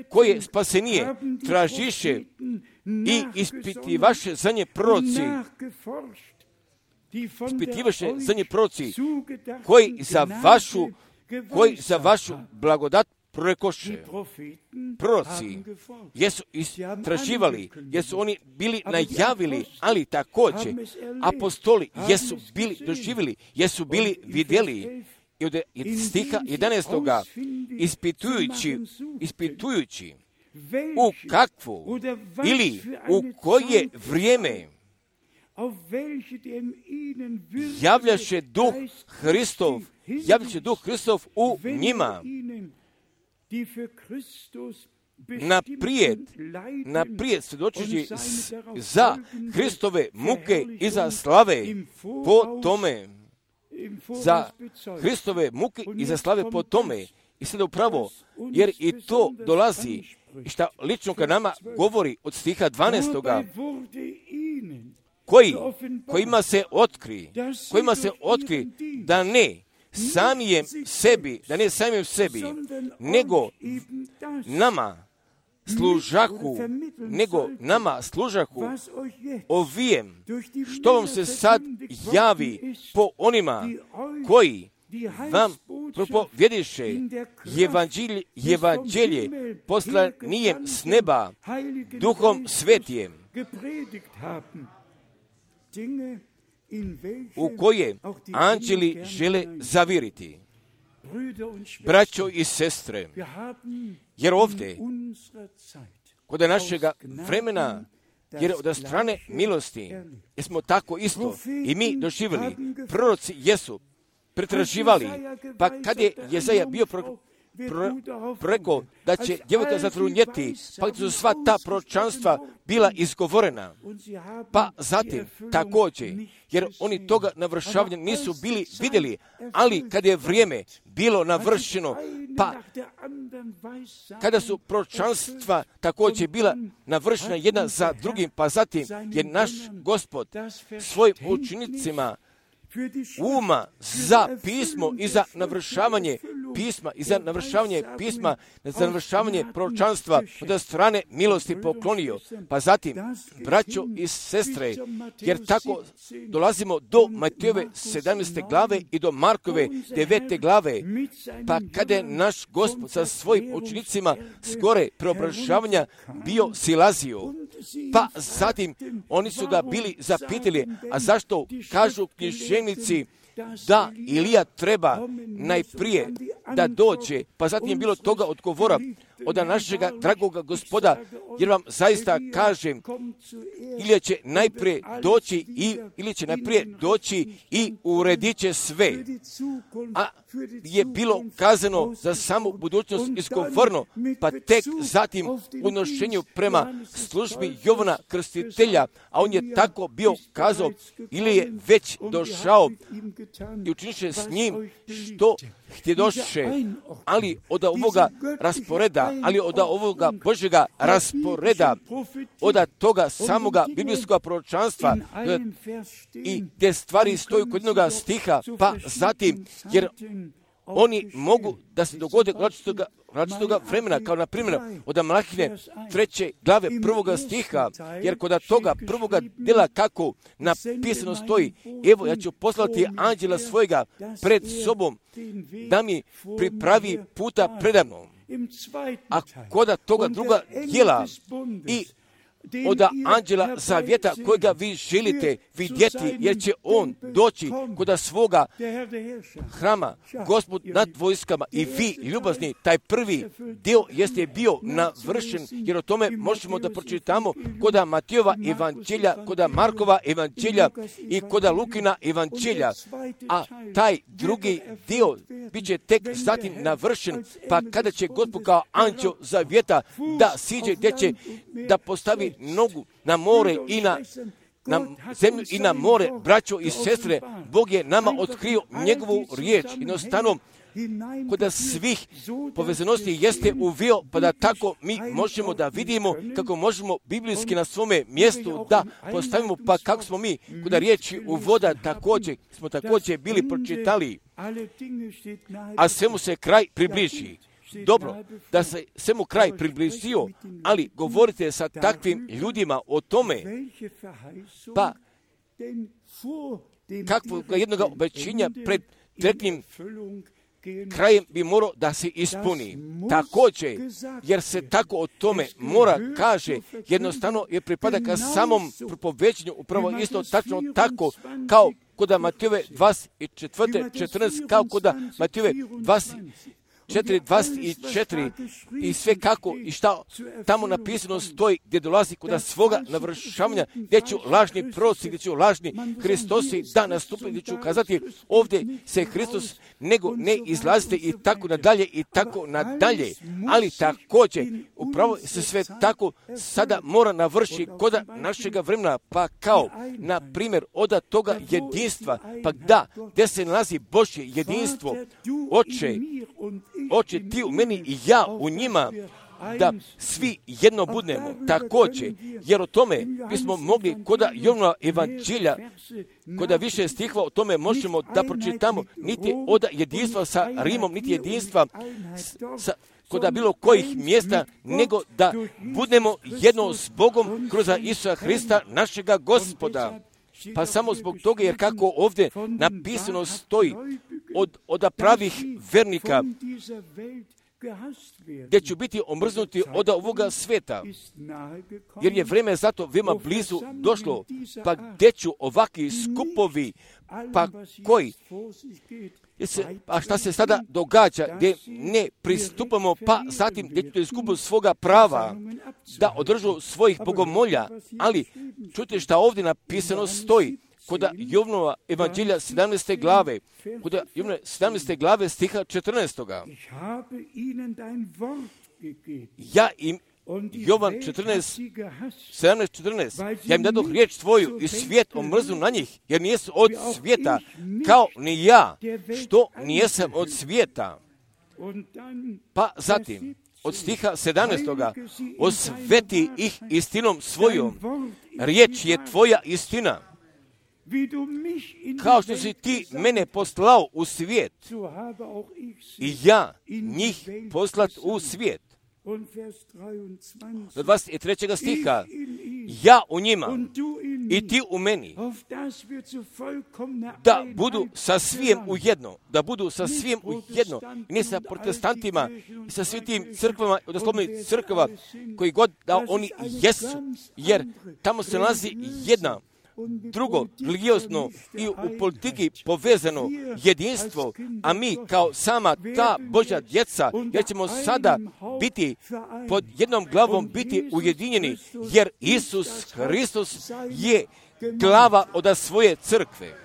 koje spasenije tražiše i ispitivaše za nje proroci, ispitivaše za nje proroci koji za vašu, koji za vašu blagodat prorekoše. Proroci jesu istraživali, jesu oni bili najavili, ali također apostoli jesu bili doživjeli, jesu bili vidjeli. I od stiha jedanaestog ispitujući, ispitujući u kakvu ili u koje vrijeme javljaše duh Hristov, javljaše duh Hristov u njima. Naprijed, naprijed svjedočeći za Hristove muke i za slave po tome. Za Hristove muke i za slave po tome. I sada upravo, jer i to dolazi, i šta lično ka nama govori od stiha dvanaestoga, koji, kojima se otkri, kojima se otkri da ne samijem sebi, da ne samijem sebi, nego nama služaku, nego nama služaku ovijem, što vam se sad javi po onima koji vam propovjediše evanđelje, evanđelje poslanijem s neba, duhom svetijem, u koje anđeli žele zaviriti. Braćo i sestre, jer ovdje, kod našega vremena, jer od strane milosti, jer smo tako isto i mi doživjeli, proroci jesu pretraživali, pa kad je Jezaja bio pro, pro, preko da će djevojka zatrudnjeti, pa su sva ta proročanstva bila izgovorena. Pa zatim također, jer oni toga navršavanja nisu bili vidjeli, ali kad je vrijeme bilo navršeno, pa kada su proročanstva također bila navršena jedna za drugim, pa zatim je naš Gospod svojim učenicima uma za pismo i za navršavanje pisma i za navršavanje pisma, za navršavanje proročanstva od strane milosti poklonio. Pa zatim, braćo i sestre, jer tako dolazimo do Matejove sedamnaeste glave i do Markove devete glave, pa kada je naš Gospod sa svojim učenicima skore preobražavanja bio silazio, pa zatim oni su ga bili zapitali, a zašto kažu književnici da Ilija treba najprije da dođe, pa zatim je bilo toga odgovora od našega dragoga Gospoda, jer vam zaista kažem, Ilija će najprije doći i ili će najprije doći i uredit će sve. A je bilo kazano za samu budućnost izgovorno, pa tek zatim u nošenju prema službi Jovana Krstitelja, a on je tako bio kazao, ili je već došao i učiniše s njim što htjedoše, ali od ovoga rasporeda, ali od ovoga Božjega rasporeda, od toga samoga biblijskog proročanstva i te stvari stoju kod jednoga stiha, pa zatim, jer oni mogu da se dogode različitoga, različitoga vremena, kao na primjer od Malahije treće glave prvoga stiha, jer kod toga prvoga dela kako napisano stoji, evo ja ću poslati anđela svojega pred sobom da mi pripravi puta predamnom. A kod toga druga djela i od anđela zavjeta kojega vi želite vidjeti, jer će on doći kod svoga hrama, Gospod nad vojskama, i vi, ljubazni, taj prvi dio jeste bio navršen, jer o tome možemo da pročitamo kod Matejova evanđelja, kod Markova evanđelja i kod Lukina evanđelja, a taj drugi dio bit će tek zatim navršen, pa kada će Gospod kao anđeo zavjeta da siđe, gdje će da postavi nogu na more i na, na zemlju i na more, braćo i sestre, Bog je nama otkrio njegovu riječ. Jednostavno, kod svih povezanosti jeste uvio, pa da tako mi možemo da vidimo kako možemo biblijski na svome mjestu da postavimo, pa kako smo mi kod riječi uvoda također, smo također bili pročitali, a svemu se kraj približi. Dobro, da se svemu kraj približio, ali govorite sa takvim ljudima o tome, pa kakvog jednog obećenja pred direktnim krajem bi morao da se ispuni. Također, jer se tako o tome mora kaže, jednostavno je pripada ka samom propoveđenju, upravo isto tačno tako kao kod Matejove dvadeset četiri četrnaest, kao kod Matejove dvadeset četiri dvadeset četiri i sve kako i šta tamo napisano stoji, gdje dolazi kod svoga navršavanja, gdje ću lažni proroci, gdje ću lažni Hristosi da nastupe, gdje ću kazati ovdje se Hristos, nego ne izlazite i tako nadalje i tako nadalje. Ali također, upravo se sve tako sada mora navrši kod našega vremena, pa kao, na primjer, od toga jedinstva, pa da, gdje se nalazi Božje jedinstvo, Oče, Oče, ti u meni i ja u njima, da svi jedno budemo, također, jer o tome bismo mogli kod Jovnova evanđelja, kod više stihova o tome možemo da pročitamo, niti od jedinstva sa Rimom, niti jedinstva sa kod bilo kojih mjesta, nego da budemo jedno s Bogom kroz Isusa Hrista, našega Gospoda. Pa samo zbog toga, jer kako ovdje napisano stoji od, od pravih vernika, gdje ću biti omrznuti od ovoga sveta, jer je vrijeme zato veoma blizu došlo, pa gdje ću ovakvi skupovi, pa koji, a šta se sada događa, gdje ne pristupamo, pa zatim gdje ću izgubu svoga prava, da održu svojih bogomolja, ali čujte šta ovdje napisano stoji, kod Jovnova evanđelja sedamnaeste glave, kod Jovnova sedamnaeste glave stiha četrnaestog. Ja im, Jovan četrnaest, sedamnaest četrnaest, ja im dadoh riječ tvoju i svijet omrznu na njih, jer nijesu od svijeta, kao ni ja, što nijesam od svijeta. Pa zatim, od stiha sedamnaestog. Osveti ih istinom svojom, riječ je tvoja istina. Kao što si ti mene poslao u svijet, i ja njih poslat u svijet. Do dvadeset trećeg stiha, ja u njima i ti u meni, da budu sa svijem ujedno, da budu sa svijem ujedno, i ne sa protestantima, i sa svim tim crkvama, odnoslovno crkva, koji god da oni jesu, jer tamo se nalazi jedna, drugo, religiozno i u politiki povezano jedinstvo, a mi kao sama ta Božja djeca, jer ćemo sada biti pod jednom glavom biti ujedinjeni, jer Isus Hristos je glava od svoje crkve.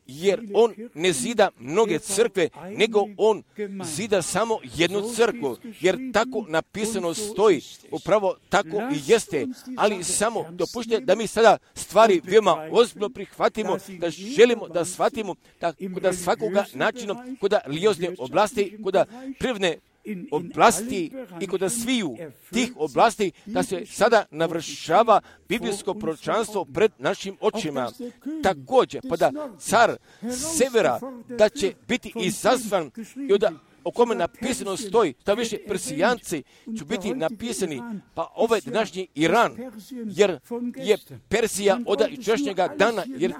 Jer on ne zida mnoge crkve, nego on zida samo jednu crkvu, jer tako napisano stoji, upravo tako i jeste, ali samo dopušte da mi sada stvari veoma ozbiljno prihvatimo, da želimo da shvatimo da kod svakoga načina, kod religiozne oblasti, kod privredne oblasti i kod sviju tih oblasti, da se sada navršava biblijsko proročanstvo pred našim očima. Također, pa da car severa, da će biti izazvan i od o kome napisano stoji, da više Persijanci će biti napisani, pa ovaj današnji Iran, jer je Persija od jučerašnjega dana, jer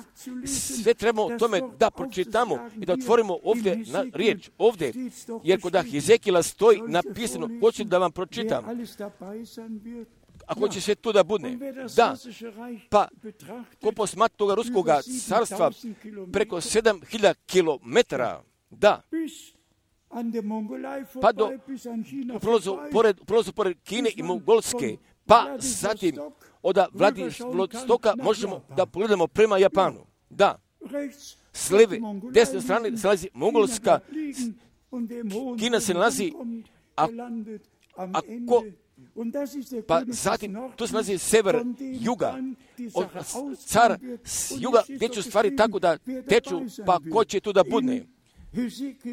sve trebamo o tome da pročitamo i da otvorimo ovdje na riječ, ovdje, jer kod Hezekila stoji napisano, hoću da vam pročitam, ako će sve to da bude, da, pa ko posmatra toga ruskoga carstva preko sedam hiljada kilometara, da, pa do prolazu pored, prolazu pored Kine i Mongolske, pa zatim od Vladivostoka možemo da pogledamo prema Japanu. Da, s lijeve, desne strane se nalazi Mongolska, Kina se nalazi, a, ako, pa zatim tu se nalazi sever, juga, od car s juga teču stvari tako da teču, pa ko će tu da budne.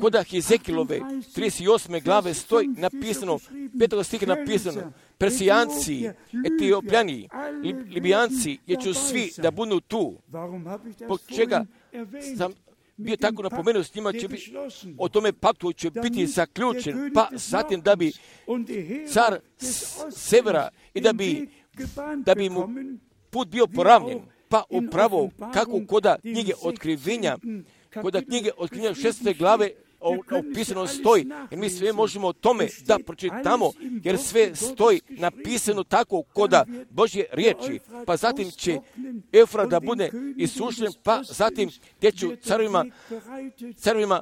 Kod Hezekilove trideset osme glave stoji napisano, petog stiha napisano, Persijanci, Etiopljani, Libijanci, jer ću svi da budu tu. Po čega sam bio tako napomenuo, s njima će biti, o tome paktu će biti zaključen, pa zatim da bi car severa i da bi, da bi mu put bio poravnjen, pa upravo kako koda knjige otkrivenja, kod knjige otkrivenja šeste glave opisano stoji, jer mi sve možemo o tome da pročitamo, jer sve stoji napisano tako koda Božje riječi, pa zatim će Eufrat da bude isušen, pa zatim gdje ću carovima, carovima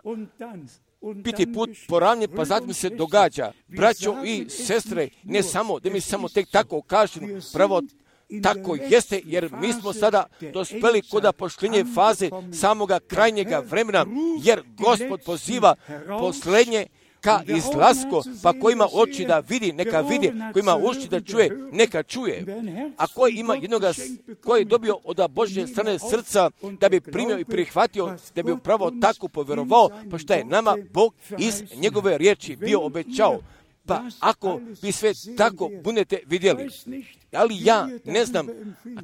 biti put poravnjen, pa zatim se događa. Braćo i sestre, ne samo da mi samo tek tako kažemo, pravo tako jeste, jer mi smo sada dospeli kod pošljenje faze samoga krajnjega vremena, jer Gospod poziva posljednje ka izlasko, pa ko ima oči da vidi, neka vidi, ko ima uši da čuje, neka čuje. A ko ima jednoga, ko je dobio od Božje strane srca, da bi primio i prihvatio, da bi upravo tako povjerovao, pa šta je nama Bog iz njegove riječi bio obećao. Pa ako vi sve tako budete vidjeli, ali ja ne znam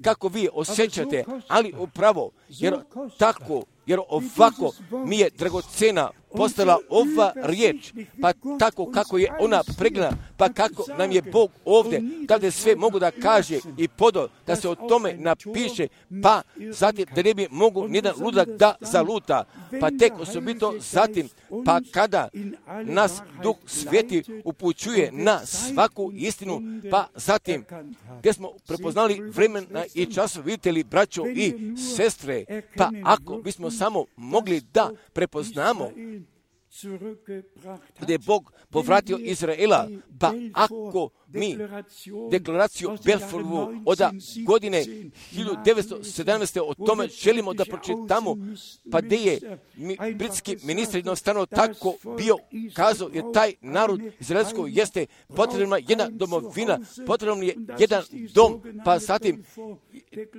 kako vi osjećate, ali upravo, jer tako, jer ovako mi je dragocena postala ova riječ, pa tako kako je ona pregledana, pa kako nam je Bog ovdje, kada sve mogu da kaže i podo, da se o tome napiše, pa zatim da ne bi mogu nijedan ludak da zaluta, pa tek osobito zatim, pa kada nas Duh Sveti upućuje na svaku istinu, pa zatim gdje smo prepoznali vremena i časov, vidite li, braćo i sestre, pa ako bismo samo mogli da prepoznamo gdje je Bog povratio Izraela, pa ako mi deklaraciju Belfortovu od godine hiljadu devetsto sedamnaeste o tome želimo da pročitamo, pa gdje je mi, britski ministar jednostavno tako bio kazao, jer taj narod izraelsko jeste potrebna jedna domovina, potrebno je jedan dom, pa zatim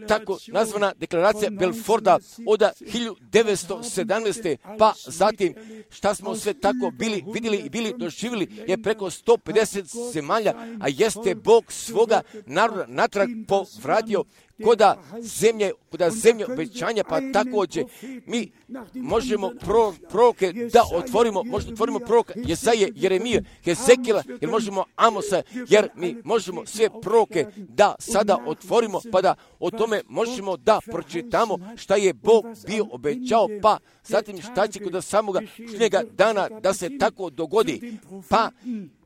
tako nazvana deklaracija Belforta od hiljadu devetsto sedamnaeste pa zatim šta smo sve tako bili vidjeli i bili doživjeli je preko sto pedeset zemalja, a jeste Bog svoga naroda natrag povratio koda zemlje, koda zemlje obećanja, pa također mi možemo pro, proroke da otvorimo, možemo otvorimo proroka Jesaje, Jeremije, Hezekijela, jer možemo Amosa, jer mi možemo sve proroke da sada otvorimo, pa da o tome možemo da pročitamo šta je Bog bio obećao, pa zatim šta će kod samoga njega dana da se tako dogodi, pa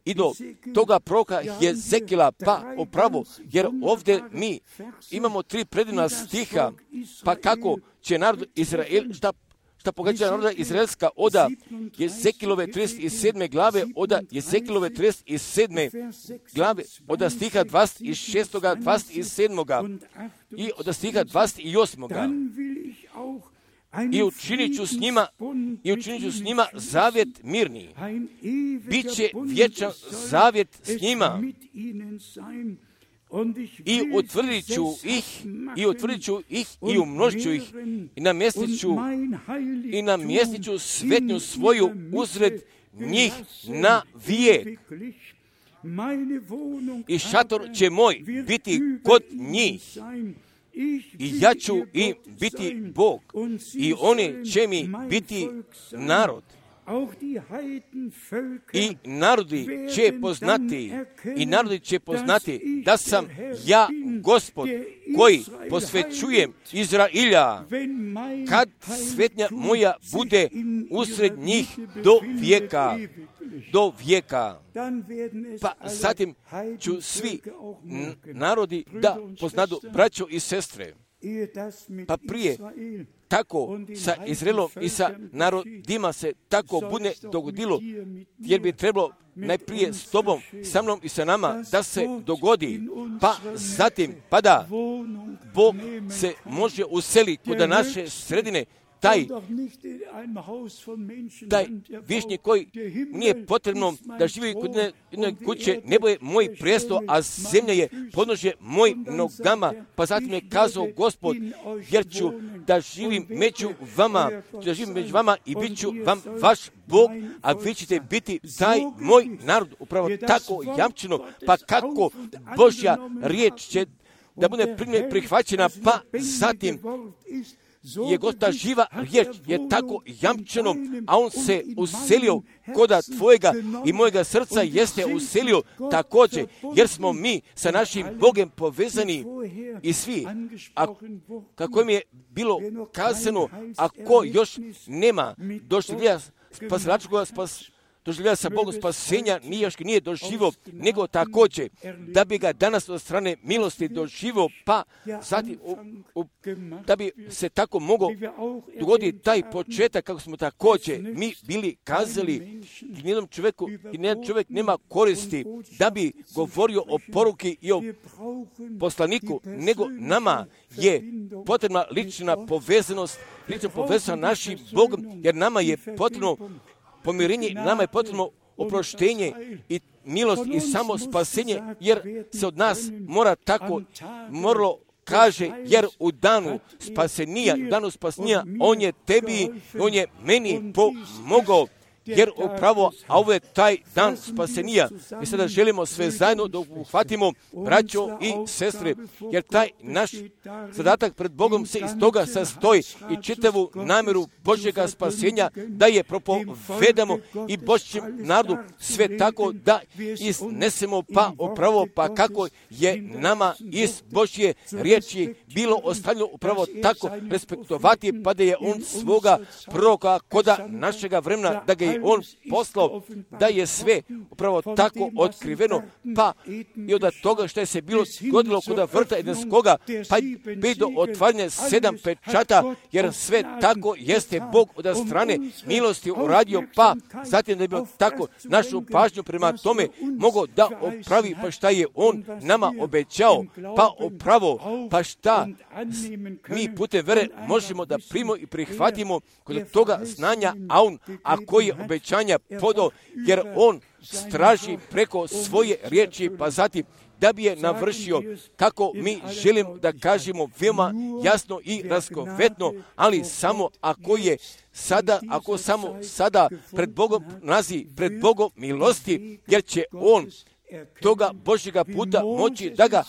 i do toga proroka Hezekijela, pa upravo, jer ovdje mi imamo tri predivna stiha, pa kako će narod Izrael, šta, šta pogađa naroda Izraelska oda Hezekijelove trideset sedme glave, oda Hezekijelove trideset sedme glave, oda stiha dvadeset šest, dvadeset sedam i oda stiha dvadeset osam. I učinit ću s njima, i učinit ću s njima zavjet mirni. Biće vječan zavjet s njima. I utvrdit ću ih, i utvrdit ću ih, i umnožit ću ih, i namjestit ću, i namjestit ću svetnju svoju uzred njih na vijek. I šator će moj biti kod njih. I ja ću im biti Bog, i oni će mi biti narod. I narodi će poznati, i narodi će poznati da sam ja Gospod koji posvećujem Izrailja, kad svetnja moja bude usred njih do vijeka, do vijeka. Pa zatim ću svi narodi da poznadu, braćo i sestre, pa prije tako sa Izraelom i sa narodima se tako bude dogodilo, jer bi trebalo najprije s tobom, sa mnom i sa nama da se dogodi, pa zatim, pa da Bog se može useliti kod naše sredine, taj, taj višnjik koji nije potrebno da živi kod jedne kuće, nebo je moj prijesto, a zemlja je podnožje mojim nogama, pa zatim je kazao Gospod, jer ću da živim među vama, da živim među vama i bit ću vam vaš Bog, a vi ćete biti taj moj narod, upravo tako jamčeno, pa kako Božja riječ će da bude prihvaćena, pa zatim je Gospoda živa riječ, je tako jamčeno, a on se uselio koda tvojega i mojega srca jeste uselio također, jer smo mi sa našim Bogem povezani i svi. A kako mi je bilo kazano, ako još nema došljenja spasilačkoga spas, doživljaja sa Bogom spasenja nije još nije doživo, nego također da bi ga danas od strane milosti doživo, pa zatim u, u, da bi se tako mogao dogoditi taj početak kako smo također mi bili kazali, nijednom čovjeku i nijedan čovjek nema koristi da bi govorio o poruki i o poslaniku, nego nama je potrebna lična povezanost, lična povezanost našim Bogom, jer nama je potrebno pomirenje, nama je potrebno oproštenje i milost i samo spasenje, jer se od nas mora tako moralo kaže, jer u danu spasenija, u danu spasenija, on je tebi, on je meni pomogao, jer upravo, a ovo je taj dan spasenija. Mi sada želimo sve zajedno da uhvatimo, braćo i sestre, jer taj naš zadatak pred Bogom se iz toga sastoji i čitavu namjeru Božjega spasenja da je propovedamo i Božjem narodu sve tako da iznesemo pa upravo pa kako je nama iz Božje riječi bilo ostavljeno upravo tako respektovati, pa da je on svoga proroka koda našega vremena, da ga je on poslao, da je sve upravo tako otkriveno, pa i od toga što je se bilo godilo kod vrta Edenskoga, pa i do otvaranja sedam pečata, jer sve tako jeste Bog od strane milosti uradio, pa zatim da je bilo tako našu pažnju prema tome mogao da opravi, pa šta je on nama obećao, pa upravo, pa šta mi putem vere možemo da primimo i prihvatimo kod toga znanja, a on, a koji je obećanja podao, jer on straži preko svoje riječi, pa zatim da bi je navršio, kako mi želimo da kažemo veoma jasno i raskovetno, ali samo ako je sada, ako samo sada pred Bogom nazi, pred Bogom milosti, jer će on toga Božjega puta moći da ga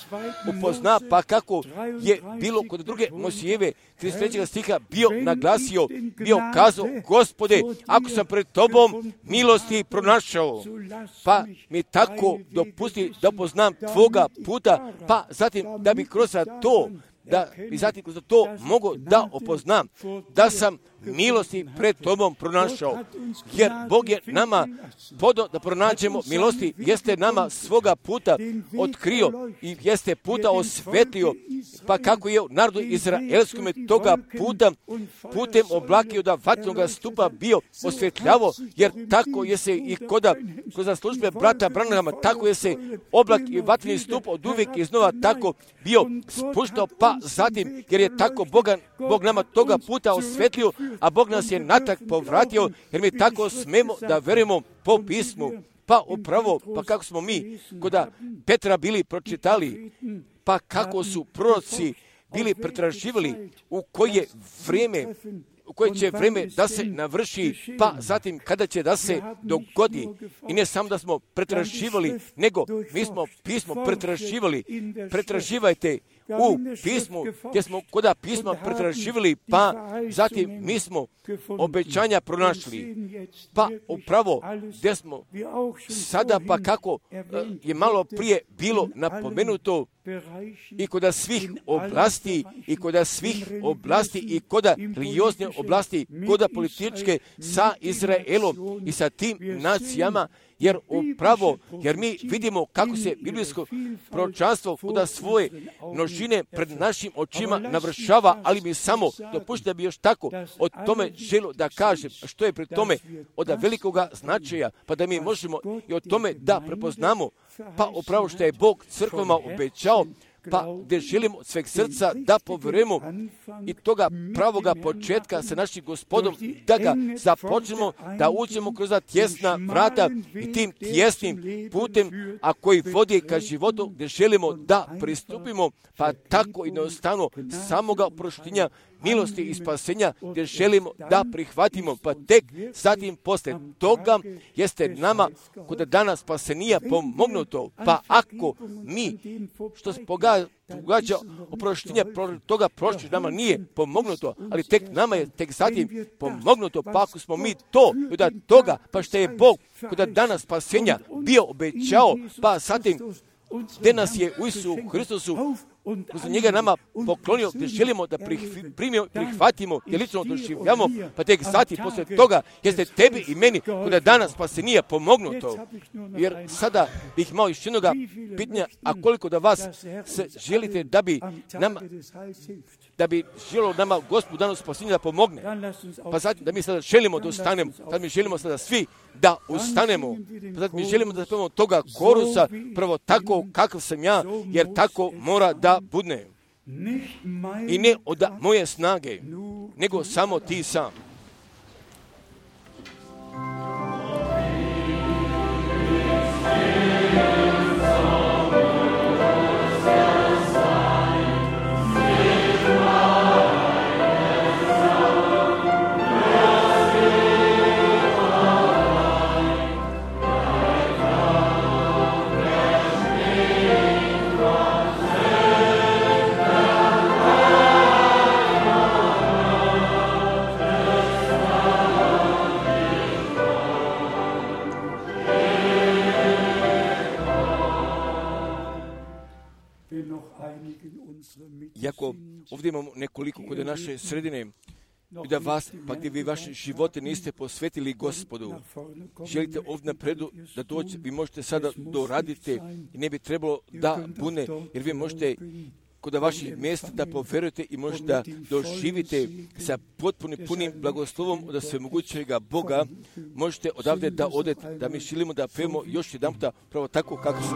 upozna, pa kako je bilo kod druge Mojsijeve trideset trećeg stiha bio naglasio, bio kazao, Gospode, ako sam pred tobom milosti pronašao, pa mi tako dopusti da poznam tvoga puta, pa zatim da bi kroz to da bi zatim kroz to mogu da opoznam da sam milosti pred tobom pronašao, jer Bog je nama podao da pronađemo milosti, jeste nama svoga puta otkrio i jeste puta osvetlio, pa kako je narodu izraelskom toga puta putem oblakio da vatnoga stupa bio osvetljavo, jer tako je se i koda kroz službe brata Branhama, tako je se oblak i vatveni stup od uvijek iznova tako bio spuštao, pa zatim jer je tako Boga, Bog nama toga puta osvetlio, a Bog nas je natrag povratio, jer mi tako smemo da verujemo po pismu. Pa upravo, pa kako smo mi koda Petra bili pročitali, pa kako su proroci bili pretraživali u koje vrijeme, u koje će vrijeme da se navrši, pa zatim kada će da se dogodi. I ne samo da smo pretraživali, nego mi smo pismo pretraživali. Pretraživajte u pismu, gdje smo koda pisma pretraživali, pa zatim mi smo obećanja pronašli. Pa upravo gdje smo sada, pa kako je malo prije bilo napomenuto, i koda svih oblasti, i koda svih oblasti, i koda religiozne oblasti, koda političke sa Izraelom i sa tim nacijama, jer upravo, jer mi vidimo kako se biblijsko proročanstvo kuda svoje množine pred našim očima navršava, ali mi samo dopušta da bi još tako o tome želo da kažem što je pred tome od velikoga značaja, pa da mi možemo i o tome da prepoznamo, pa upravo što je Bog crkvama obećao, pa gdje želimo od sveg srca da povjerujemo i toga pravoga početka sa našim Gospodom, da ga započnemo, da uđemo kroz tjesna vrata i tim tjesnim putem, a koji vodi ka životu, gdje želimo da pristupimo, pa tako jednostavno samoga oproštenja, milosti i spasenja, gdje želimo da prihvatimo, pa tek zatim posle toga jeste nama kod dana spasenija pomognuto, pa ako mi, što se pogađa oproštenja toga prošli, nama nije pomognuto, ali tek nama je tek zatim pomognuto, pa ako smo mi to, od toga, pa što je Bog kod dana spasenja bio obećao, pa zatim gdje nas je u Isusu Hristusu kroz njega nama poklonio, gdje želimo da primio, prihvatimo, gdje lično doživljamo, pa tek sati poslije toga, jeste tebi i meni, kada danas pa se nije pomognuto. Jer sada bih imao još jednoga pitanja, a koliko da vas se želite da bi nama, da bi želilo nama Gospod danas spasenja da pomogne. Pa zatim da mi sada želimo da ustanemo, da mi želimo sada svi da ustanemo. Pa zatim mi želimo da spavamo toga korusa, prvo tako kakav sam ja, jer tako mora da budne. I ne od moje snage, nego samo ti sam. Iako ovdje imamo nekoliko kod naše sredine, da vas, pa gdje vi vaše živote niste posvetili Gospodu, želite ovdje napredu da doći, vi možete sada doraditi i ne bi trebalo da bune, jer vi možete kod vaših mjesta da poverujete i možete da doživite sa potpunim punim blagoslovom od svemogućega Boga, možete odavde da odete, da mi želimo da pevamo još jedan puta pravo tako kako su.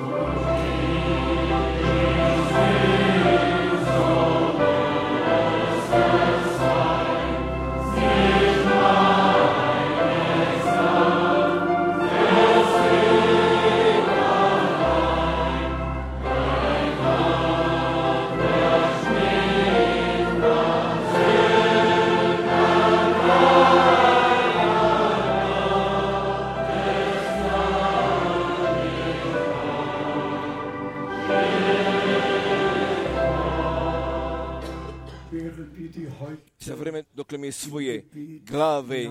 Za vreme dokle mi svoje glave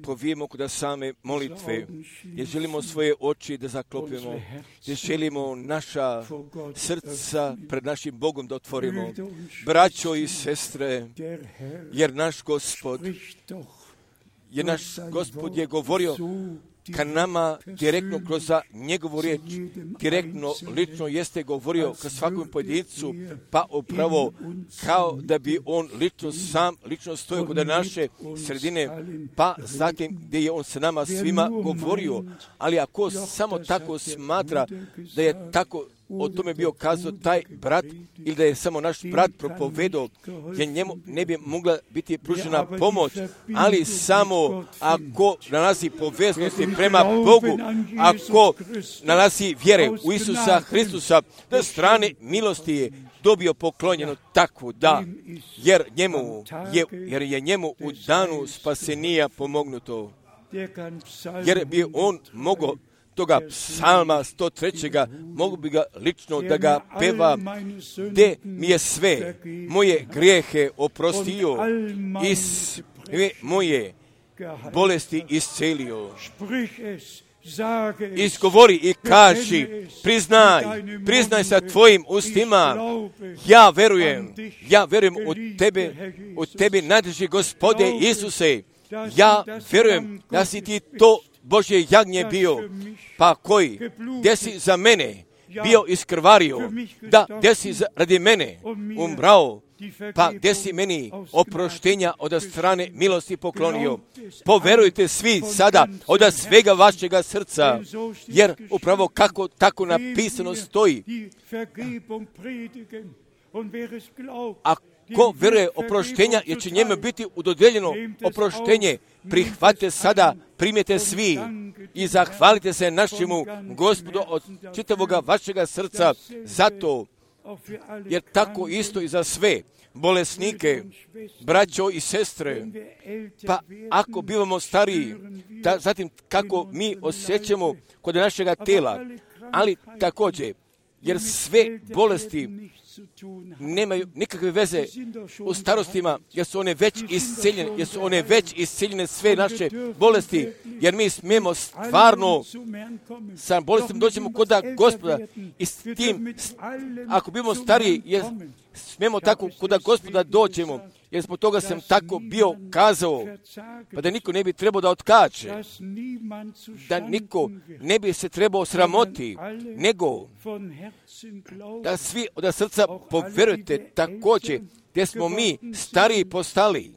povijemo kod same molitve, jer želimo svoje oči da zaklopimo, jer želimo naša srca pred našim Bogom da otvorimo. Braćo i sestre, jer naš Gospod, jer naš Gospod je govorio ka nama direktno kroz njegovu riječ, direktno, lično jeste govorio ka svakom pojedincu, pa upravo kao da bi on lično sam, lično stojio kod naše sredine, pa zatim gdje je on sa nama svima govorio. Ali ako samo tako smatra da je tako o tome bio kazao taj brat ili da je samo naš brat propovedao, jer njemu ne bi mogla biti pružena pomoć, ali samo ako nalazi poveznosti prema Bogu, ako nalazi vjere u Isusa Hristusa, da strane milosti je dobio poklonjeno tako da, jer njemu je, jer je njemu u danu spasenija pomognuto, jer bi on mogao toga psalma sto tri. Mogu bi ga lično da ga peva, gdje mi je sve moje grijehe oprostio i sve moje bolesti iscelio. Izgovori i kaži, priznaj, priznaj sa tvojim ustima, ja verujem, ja verujem u tebe, u tebi najdraži Gospode Isuse, ja verujem da si ti to Božje jagnje bio, pa koji, gdje si za mene bio iskrvario, da gdje si za, radi mene umrao, pa gdje si meni oproštenja od strane milosti poklonio. Poverujte svi sada od svega vašega srca, jer upravo kako tako napisano stoji. Ako veruje oproštenja, jer će njemu biti udodjeljeno oproštenje, prihvatite sada, primite svi i zahvalite se našemu Gospodu od čitavoga vašega srca zato, jer tako isto i za sve bolesnike, braćo i sestre, pa ako bivamo stariji, da, zatim kako mi osjećamo kod našega tela, ali također, jer sve bolesti nemaju nikakve veze u starostima, jer su one već isceljene, jer su one već isceljene sve naše bolesti, jer mi smijemo stvarno sa bolestima doćemo kod Gospoda i s tim, ako bimo stariji, jer smijemo tako kod Gospoda doćemo, jer zbog toga sam tako bio kazao, pa da niko ne bi trebao da otkače, da niko ne bi se trebao sramoti, nego da svi od srca poverujete također, gdje smo mi stariji postali,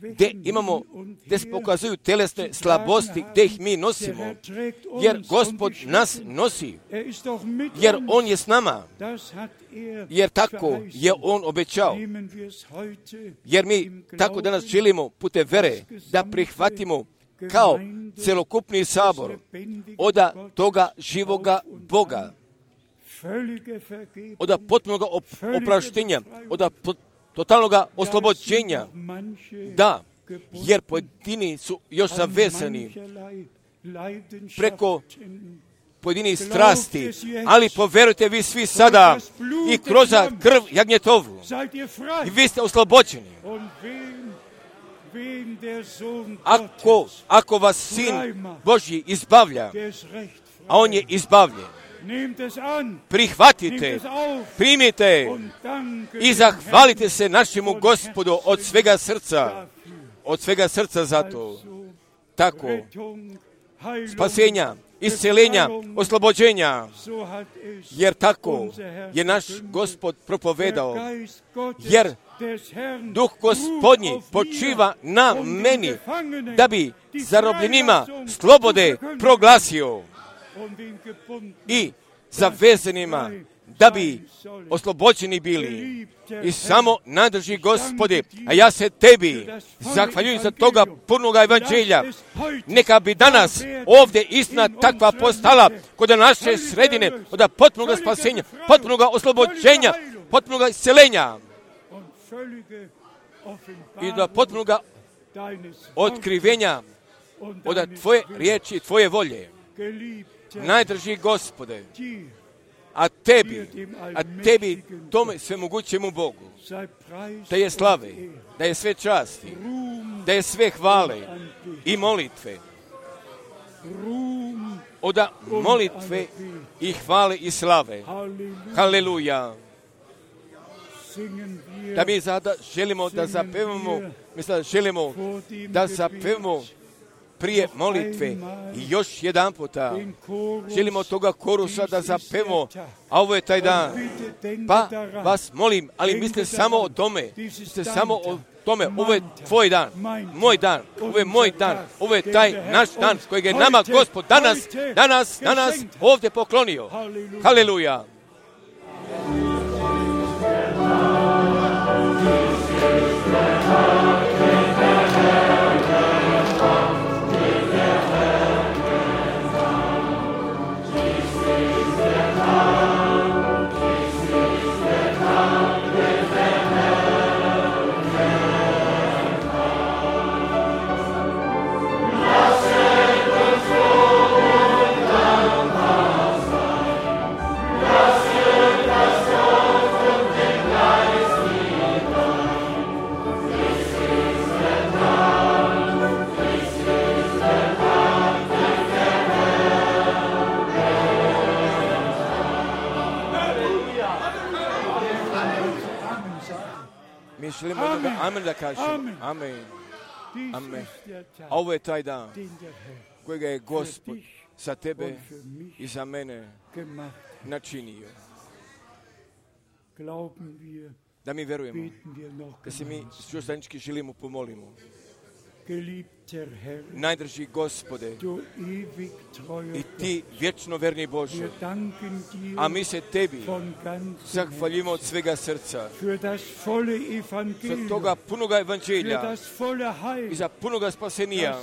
gdje imamo, gdje se pokazuju telesne slabosti, gdje ih mi nosimo, jer Gospod nas nosi, jer On je s nama, jer tako je On obećao, jer mi tako danas želimo putem vere da prihvatimo kao celokupni sabor od toga živoga Boga, od potpunog opraštenja, od totalnog oslobođenja, da, jer pojedini su još zavezani preko pojedinih strasti, ali poverujte vi svi sada i kroz krv jagnjetovu i vi ste oslobođeni. Ako, ako vas Sin Božji izbavlja, a On je izbavljen, prihvatite, primite i zahvalite se našemu Gospodu od svega srca, od svega srca za to. Tako, spasenja, isceljenja, oslobođenja, jer tako je naš Gospod propovedao, jer Duh Gospodnji počiva na meni, da bi zarobljenima slobode proglasio i zavezanima, da bi oslobođeni bili. I samo nadrži Gospode, a ja se tebi zahvaljujem za toga punoga evanđelja. Neka bi danas ovdje istina takva postala kod naše sredine, od potpunog spasenja, potpunog oslobođenja, potpunog isceljenja i do potpunog otkrivenja od Tvoje riječi i Tvoje volje. Najdrži Gospode, a tebi, a tebi tome svemogućemu Bogu, da je slave, da je sve časti, da je sve hvale i molitve, od molitve i hvale i slave. Haleluja. Da mi sada želimo da zapevamo, mislim da želimo da zapevamo prije molitve i još jedan puta želimo toga korusa da zapevamo, a ovo je taj dan. Pa vas molim, ali mislite samo o tome, mislite samo o tome, ovo je tvoj dan, moj dan, ovo je moj dan, ovo je taj naš dan kojeg je nama Gospod danas, danas, danas ovdje poklonio. Haleluja. Mi želimo da amen da kažemo. Amen. Amen. A ovo je taj dan kojega je Gospod za tebe i za mene načinio. Da mi verujemo, da se mi još zajednički želimo pomolimo. Najdrži Gospode i ti vječno verni Bože, a mi se tebi zahvaljimo od svega srca za toga punoga evanđelja i za punoga spasenija,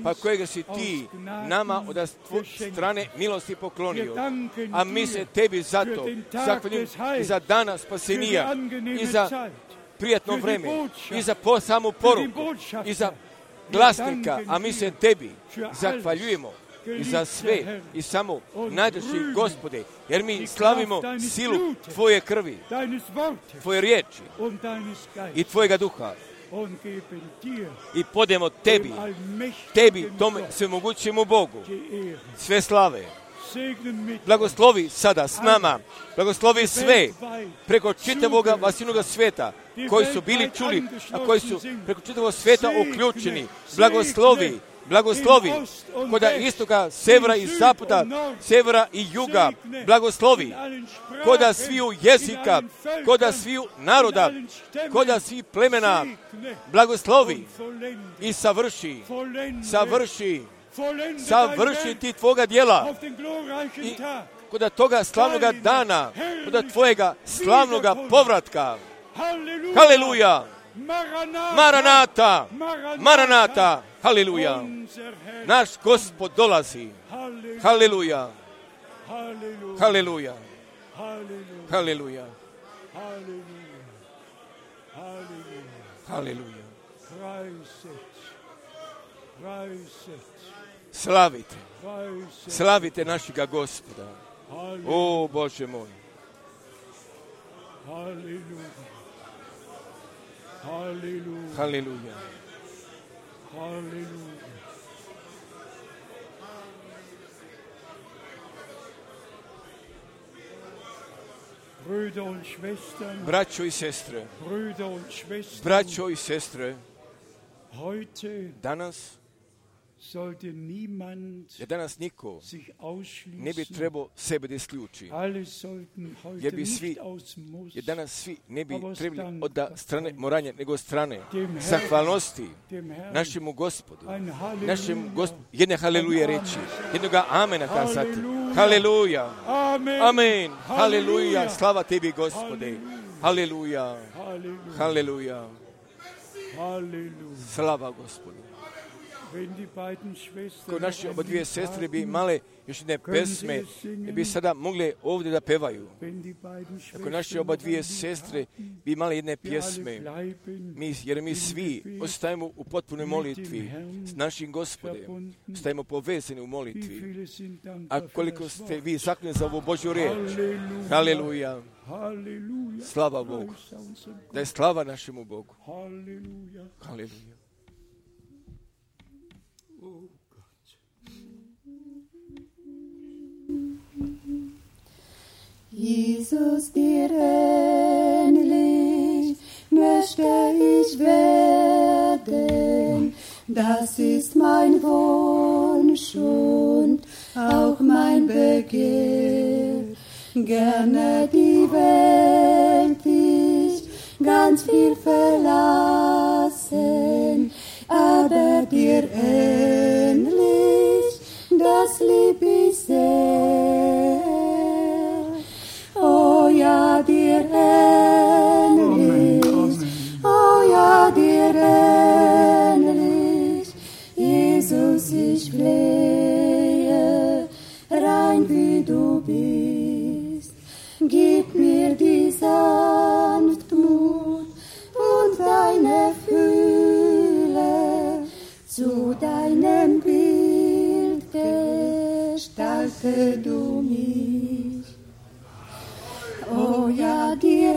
pa kojega si ti nama od strane milosti poklonio, a mi se tebi zato zahvaljimo i za dana spasenija i za prijatno vreme i za samu poruku i za glasnika, a mi se tebi zahvaljujemo i za sve i samo najdraži Gospode, jer mi slavimo silu Tvoje krvi, Tvoje riječi i Tvojega duha i podemo Tebi, Tebi, tome svemogućemu Bogu, sve slave. Blagoslovi sada s nama, blagoslovi sve preko čitavoga vasinoga sveta koji su bili čuli, a koji su preko čitavog sveta uključeni. Blagoslovi, blagoslovi koda istoka, severa i zapada, severa i juga, blagoslovi koda sviju jezika, koda sviju naroda, koda svih plemena, blagoslovi i savrši, savrši, savrši ti Tvoga djela i koda toga slavnoga dana, koda Tvojega slavnoga povratka. Haleluja! Maranata! Maranata! Haleluja! Naš Gospod dolazi. Haleluja! Haleluja! Haleluja! Haleluja! Slavite, slavite našega Gospoda. O Bože moj. Haleluja. Haleluja. Haleluja. Brüder und Schwestern, braćo i sestre, Brüder und Schwestern, braćo i sestre, heute danas, sollte niemand jer danas niko sich ne bi ausschließen. trebao sebe da isključi, Alle sollten heute jer bi nicht svi, aus Muss, jer danas svi ne bi aber trebali dank od da strane moranja, nego od strane dem Herrn, zahvalnosti dem Herrn, našemu Gospodu, ein našem Halleluja, Gospodu, jedne haleluje reći, jednoga amena kazati. Halleluja. Haleluja. Amen, Amen. Haleluja. Halleluja. Slava Tebi, Gospode. Haleluja. Halleluja, Haleluja. Halleluja. Slava Gospodu. Wenn die beiden Schwestern Ko naše noch oba ein dvije Lied sestre bi haben, imale još jedne pesme, ne bi sada mogle ovdje da pevaju. wenn die beiden Ako Schwestern naše oba noch ein dvije Lied sestre haben, bi imale jedne wir alle pjesme, bleiben mi, jer mi svi ostajemo u potpunoj molitvi s našim Gospodem, ostajemo povezani u Wie molitvi. viele sind dankbar A für koliko das ste Wort? vi zakljeni za ovu Božju riječ. Halleluja. Haleluja. Halleluja. Slava Bogu. Preis unserem Gott. Da je slava našemu Bogu. Halleluja. Haleluja. Oh Gott. Jesus, dir ähnlich möchte ich werden, das ist mein Wunsch und auch mein Begehr. Gerne die Welt ich ganz viel verlassen, aber dir ähnlich, das lieb ich sehr. Oh ja, dir ähnlich, oh ja, dir ähnlich, Jesus, ich flehe, rein wie du bist, gib mir die Sanftmut und deine Fühle, zu deinem Bild gestalte du mich. Oh ja, dir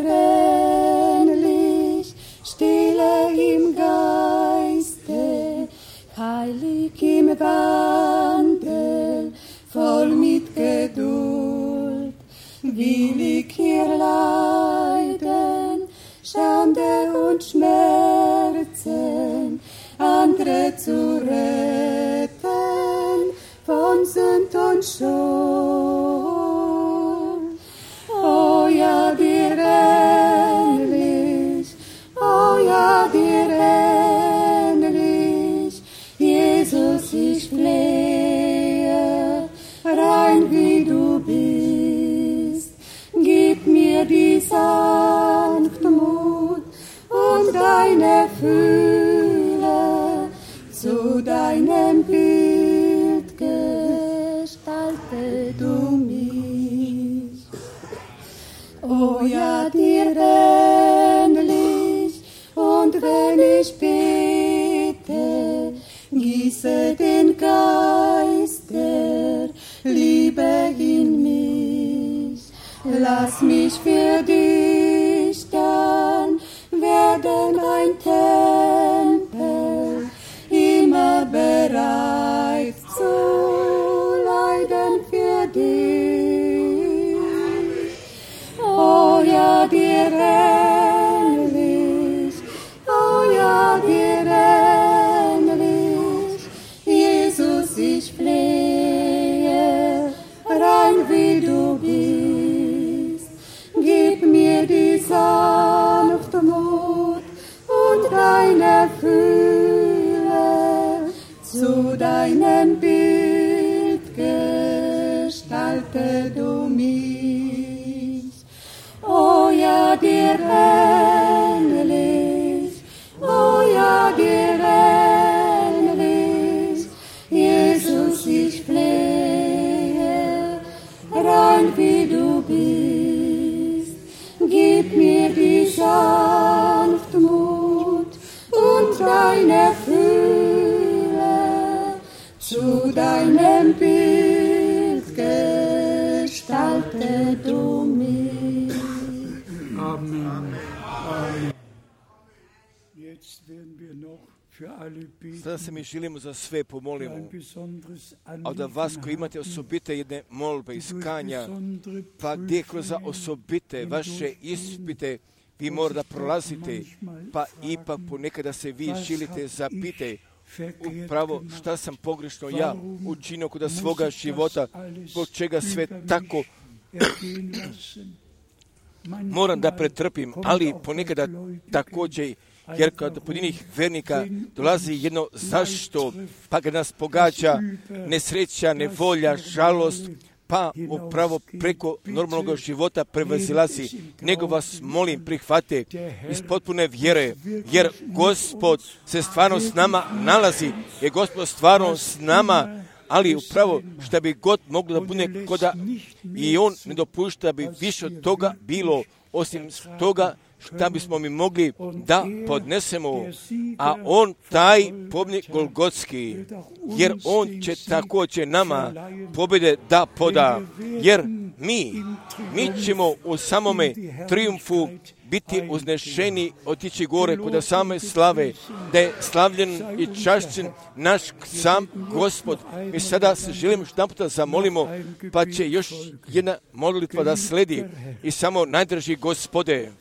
ähnlich, stille im Geiste, heilig im Wandel, voll mit Geduld, will ich hier leiden, Schande und Schmerzen, andere zu retten, von Sünd und Schuld. Oh ja, dir ähnlich, oh ja, dir ähnlich, Jesus, ich flehe, rein wie du bist, gib mir die Sanftmut und deine Fühle, zu deinem Bild gestalte du mich. Oh ja, dir ähnlich, und wenn ich bete, gieße den Geist lass mich für dich dann werden ein Tempel, immer bereit zu leiden für dich. Oh ja, dir ähnlich, oh ja, dir ähnlich, Jesus, ich flehe, rein wie du bist, gib mir die Sanftmut und deine Fülle, zu deinem Bild gestalte du mich. Oh ja, dir ähnlich, oh ja, dir ähnlich, Jesus, ich flehe, rein wie du bist, gib mir die Sanftmut und deine Fülle, zu deinem Bild gestalte du mich. Amen. Amen. Jetzt werden wir noch für alle beten. Sada se mi želimo za sve pomolimo. Ein besonderes A da vas koji imate osobite jedne molbe, iskanja, pa gdje kroz osobite vaše ispite vi morate da prolazite, pa ipak ponekada se vi želite zapite upravo šta sam pogrešno ja učinio kod svoga života, zbog čega sve tako moram da pretrpim, ali ponekada također, jer kod pojedinih vernika dolazi jedno zašto, pa ga nas pogađa nesreća, nevolja, žalost, pa upravo preko normalnog života prevazilazi. Nego vas molim prihvate iz potpune vjere, jer Gospod se stvarno s nama nalazi, jer Gospod stvarno s nama, ali upravo šta bi god moglo da bude koda i On ne dopušta da bi više od toga bilo, osim toga šta bismo mi mogli da podnesemo, a On taj pobjednik Golgotski, jer On će također nama pobjede da poda, jer mi, mi ćemo u samome triumfu biti uznešeni, otići gore kod same slave, da je slavljen i čašćen naš sam Gospod. Mi sada se želimo što naputa zamolimo, pa će još jedna molitva da sledi i samo najdrži Gospode.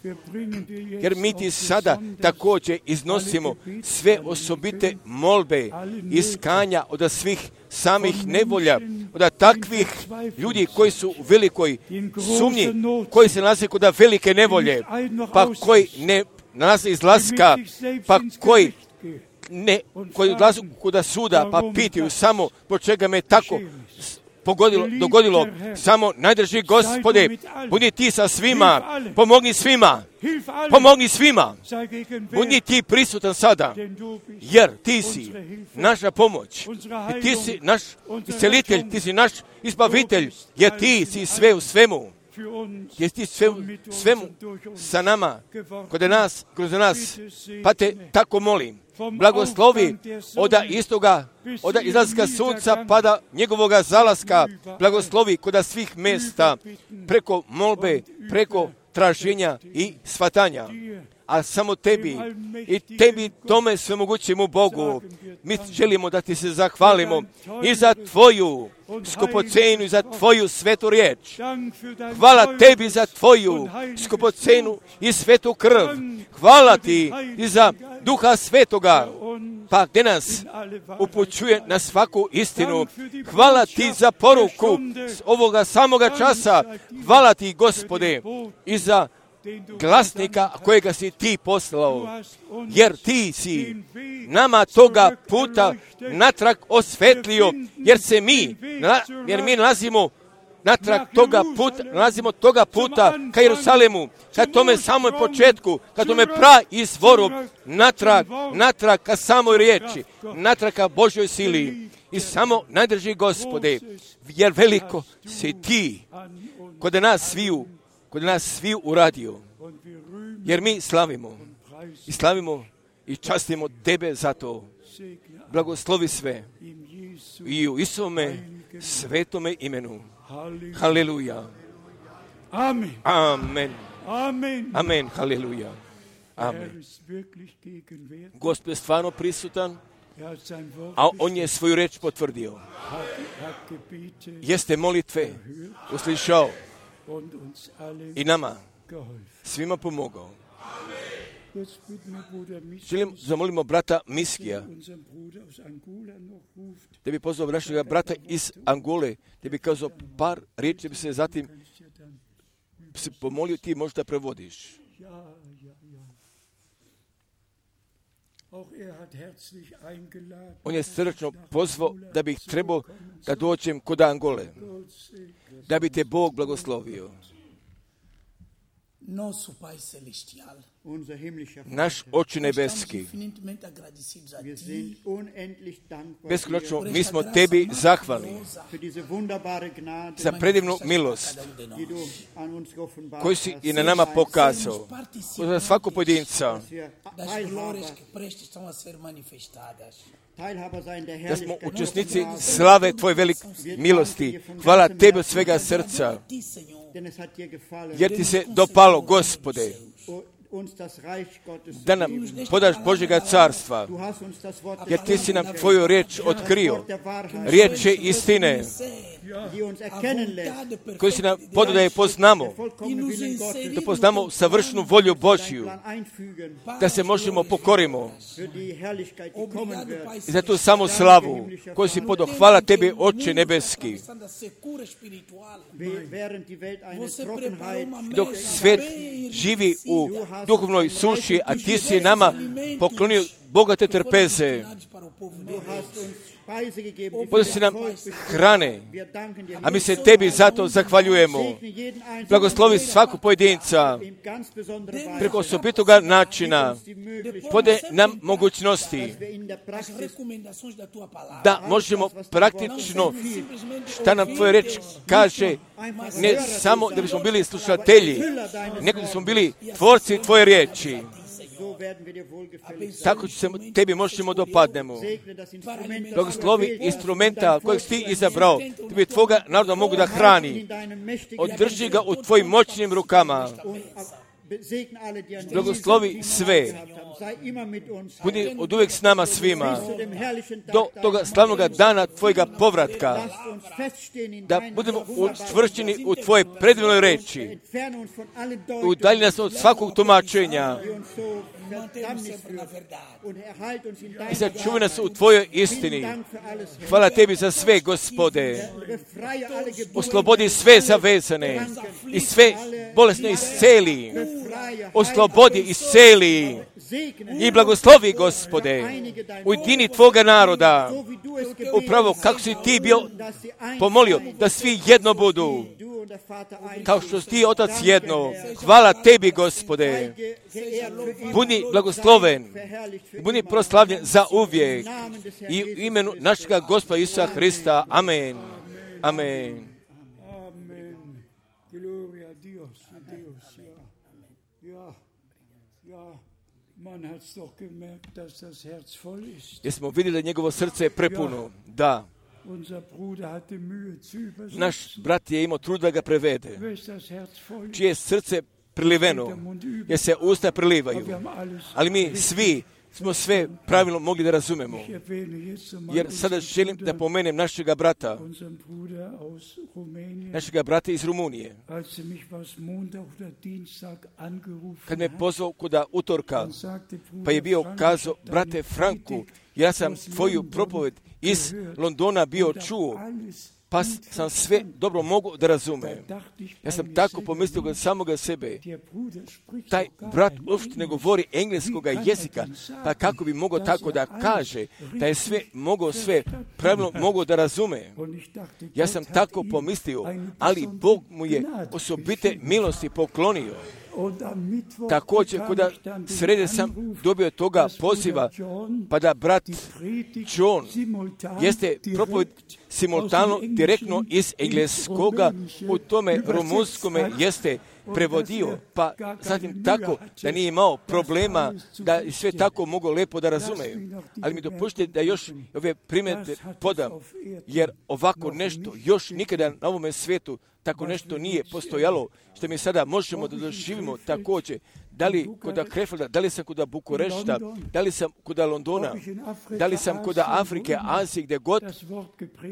Jer mi ti sada također iznosimo sve osobite molbe, iskanja od svih samih nevolja, od takvih ljudi koji su u velikoj sumnji, koji se nalaze kod velike nevolje, pa koji ne nalaze izlaska, pa koji ne, koji odlazu kod suda, pa pitaju samo po čega me tako pogodilo, dogodilo, samo najdrži Gospode, budi ti sa svima, pomogni svima, pomogni svima, budi ti prisutan sada, jer ti si naša pomoć, i ti si naš iscelitelj, ti si naš izbavitelj, jer ti si sve u svemu, jer ti sve u svemu sa nama, kod nas, kroz nas, pa te tako molim, blagoslovi od istoga, od izlaska sunca pa do njegovoga zalaska, blagoslovi kod svih mjesta, preko molbe, preko traženja i shvatanja. A samo tebi i tebi tome svemogućemu Bogu mi želimo da ti se zahvalimo i za tvoju skupocenu i za tvoju svetu riječ. Hvala tebi za tvoju skupocenu i svetu krv. Hvala ti i za Duha Svetoga, pa gdje nas upućuje na svaku istinu. Hvala ti za poruku ovoga samoga časa. Hvala ti, Gospode, i za glasnika kojega si ti poslao, jer ti si nama toga puta natrag osvetlio, jer se mi, jer mi nalazimo natrag toga puta, nalazimo toga puta ka Jerusalemu, ka tome samoj početku, ka tome pra izvoru, natrag, natrag ka samoj riječi, natrag ka Božoj sili. I samo najdrži, Gospode, jer veliko si ti kod nas sviju, kod nas sviju uradio, jer mi slavimo i slavimo i častimo tebe za to. Blagoslovi sve i u Isovome svetome imenu. Haleluja. Amen. Amen. Amen. Amen. Haleluja. Amen. Gospod je stvarno prisutan, a on je svoju reč potvrdio. Jeste molitve uslišao i nama svima pomogao. Želim zamolimo brata Miskija, da bi pozvao našega brata iz Angole, da bi kazao par riječi, da bi se zatim se pomolio, ti možda prevodiš. On je srdačno pozvao da bih trebao da dođem kod Angole, da bi te Bog blagoslovio. Naš Oče nebeski, beskonačno mi smo tebi zahvalni za predivnu milost koju si i na nama pokazao, za svakog pojedinca, da smo učesnici slave tvoje velike milosti. Hvala tebi od svega srca, jer ti se dopalo, Gospode, da nam podaš Božjega carstva, jer ti si nam tvoju riječ otkrio, riječ je istine, koju si nam podao da je poznamo, da poznamo savršenu volju Božju, da se možemo pokorimo i za tu samu slavu koju si podao. Hvala tebi, Oče nebeski. Dok svijet živi u duhovnoj suši, a ti si nama poklonio bogate trpeze, podao si nam hrane, a mi se tebi zato zahvaljujemo. Blagoslovi svakog pojedinca preko osobitoga načina, pode nam mogućnosti da možemo praktično šta nam tvoja reč kaže, ne samo da bismo bili slušatelji, nego da smo bili tvorci tvoje riječi. Tako se tebi možemo dopadnemo. Blagoslovi instrumenta kojeg si ti izabrao, da bi tvoga naroda mogu da hrani. Održi ga u tvojim moćnim rukama. Blagoslovi sve. Budi od uvijek s nama svima. Do toga slavnog dana tvojega povratka. Da budemo učvršćeni u tvoje predivnoj reči. Udalji nas od svakog tumačenja. I sačuvaj nas u tvojoj istini. Hvala tebi za sve, Gospode. Oslobodi sve zavezane i sve bolesne isceli. Oslobodi, isceli i blagoslovi, Gospode, ujedini tvoga naroda, upravo kako si ti bio pomolio da svi jedno budu, kao što si ti, Otac, jedno. Hvala tebi, Gospode. Budi blagosloven, budi proslavljen za uvijek i u imenu našega Gospoda Isusa Hrista. Amen. Amen. Jesmo vidjeli da njegovo srce je prepuno. Da. Naš brat je imao trud da ga prevede. Čije srce priliveno, jer se usta prilivaju. Ali mi svi smo sve pravilno mogli da razumemo. Jer sada želim da pomenem našega brata, našega brata iz Rumunije. Kad me pozvao kuda utorka, pa je bio kazao, brate Franku, ja sam tvoju propoved iz Londona bio čuo, pa sam sve dobro mogu da razumem. Ja sam tako pomislio kod samoga sebe. Taj brat uopšte ne govori engleskoga jezika, pa kako bi mogao tako da kaže, da je sve mogao sve pravilno mogao da razume. Ja sam tako pomislio, ali Bog mu je osobite milosti poklonio. Također, kada srede sam dobio toga poziva, pa da brat John jeste propoved simultano, direktno iz engleskoga, u tome rumunskome jeste prevodio, pa zatim tako da nije imao problema, da je sve tako mogao lepo da razumeju. Ali mi dopuštite da još ove primjere podam, jer ovako nešto još nikada na ovome svijetu tako nešto nije postojalo, što mi sada možemo da doživimo također. Da li kod Krefelda, da li sam kod Bukurešta, da li sam kod Londona, da li sam kod Afrike, Azije, gdje god,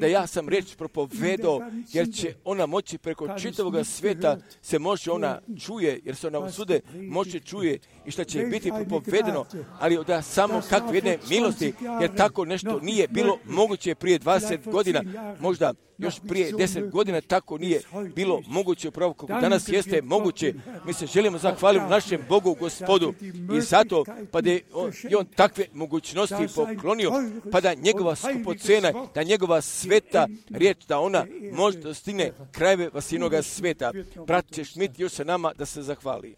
da ja sam riječ propovedao, jer će ona moći preko čitavog svijeta, se može ona čuje, jer se ona svude moće čuje i što će biti propovedeno, ali da samo kakve jedne milosti, jer tako nešto nije bilo moguće prije dvadeset godina, možda još prije deset godina tako nije bilo moguće upravo kako danas jeste moguće. Mi se želimo zahvaliti našem Bogu, Gospodu, i zato pa da je on, i on takve mogućnosti poklonio, pa da njegova skupocena, da njegova sveta riječ, da ona može da stigne krajeve vasinoga sveta. Brat Šmit još sa nama da se zahvali.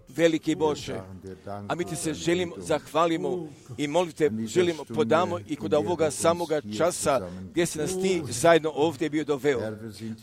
Veliki Bože, a mi ti se želimo, zahvalimo i molite, želimo, podamo i kod ovoga samoga časa gdje si nas ti zajedno ovdje bio doveo.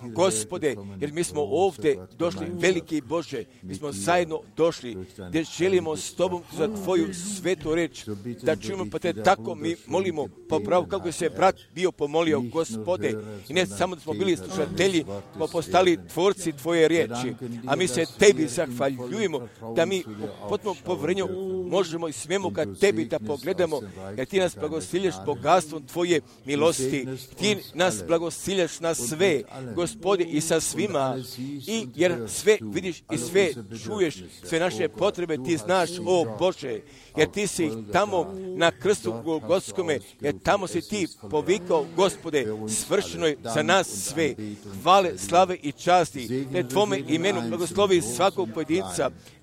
Gospode, jer mi smo ovdje došli, veliki Bože, mi smo zajedno došli gdje želimo s Tobom za Tvoju svetu reč da čujemo, pa te tako mi molimo po pravu kako se brat bio pomolio, Gospode, i ne samo da smo bili slušatelji, smo postali tvorci Tvoje riječi, a mi se Tebi zahvaljujemo. Ljubimo da mi potpuno povjerenju možemo i smijemo kad Tebi da pogledamo, jer Ti nas blagosiljaš bogastvom Tvoje milosti. Ti nas blagosiljaš na sve, Gospode, i sa svima, i jer sve vidiš i sve čuješ, sve naše potrebe Ti znaš, o Bože, jer Ti si tamo na krstu Golgotskome, jer tamo si Ti povikao, Gospode, svršeno je za nas sve. Hvale, slave i časti, te Tvome imenu blagoslovi svakog pojedinca,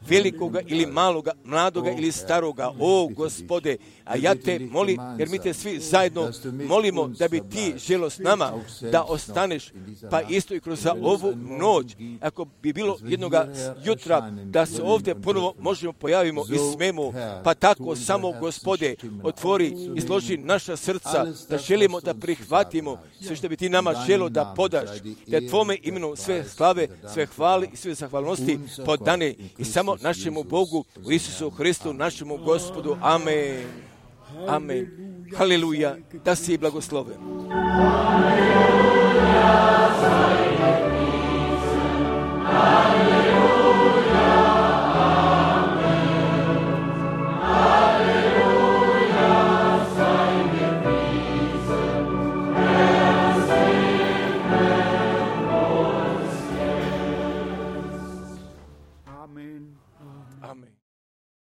velikoga ili maloga, mladoga ili staroga, o Gospode, a ja te molim, jer mi te svi zajedno molimo da bi Ti želo s nama da ostaneš, pa isto i kroz ovu noć, ako bi bilo jednoga jutra da se ovdje ponovo možemo pojavimo i smemo, pa tako samo, Gospode, otvori i složi naša srca, da želimo da prihvatimo sve što bi Ti nama želo da podaš, da Tvome imenu sve slave, sve hvale i sve zahvalnosti podane i samo našemu Bogu, u Isusu Hristu, našemu Gospodu. Amen. Amen. Haleluja. Da si blagosloven. Amen.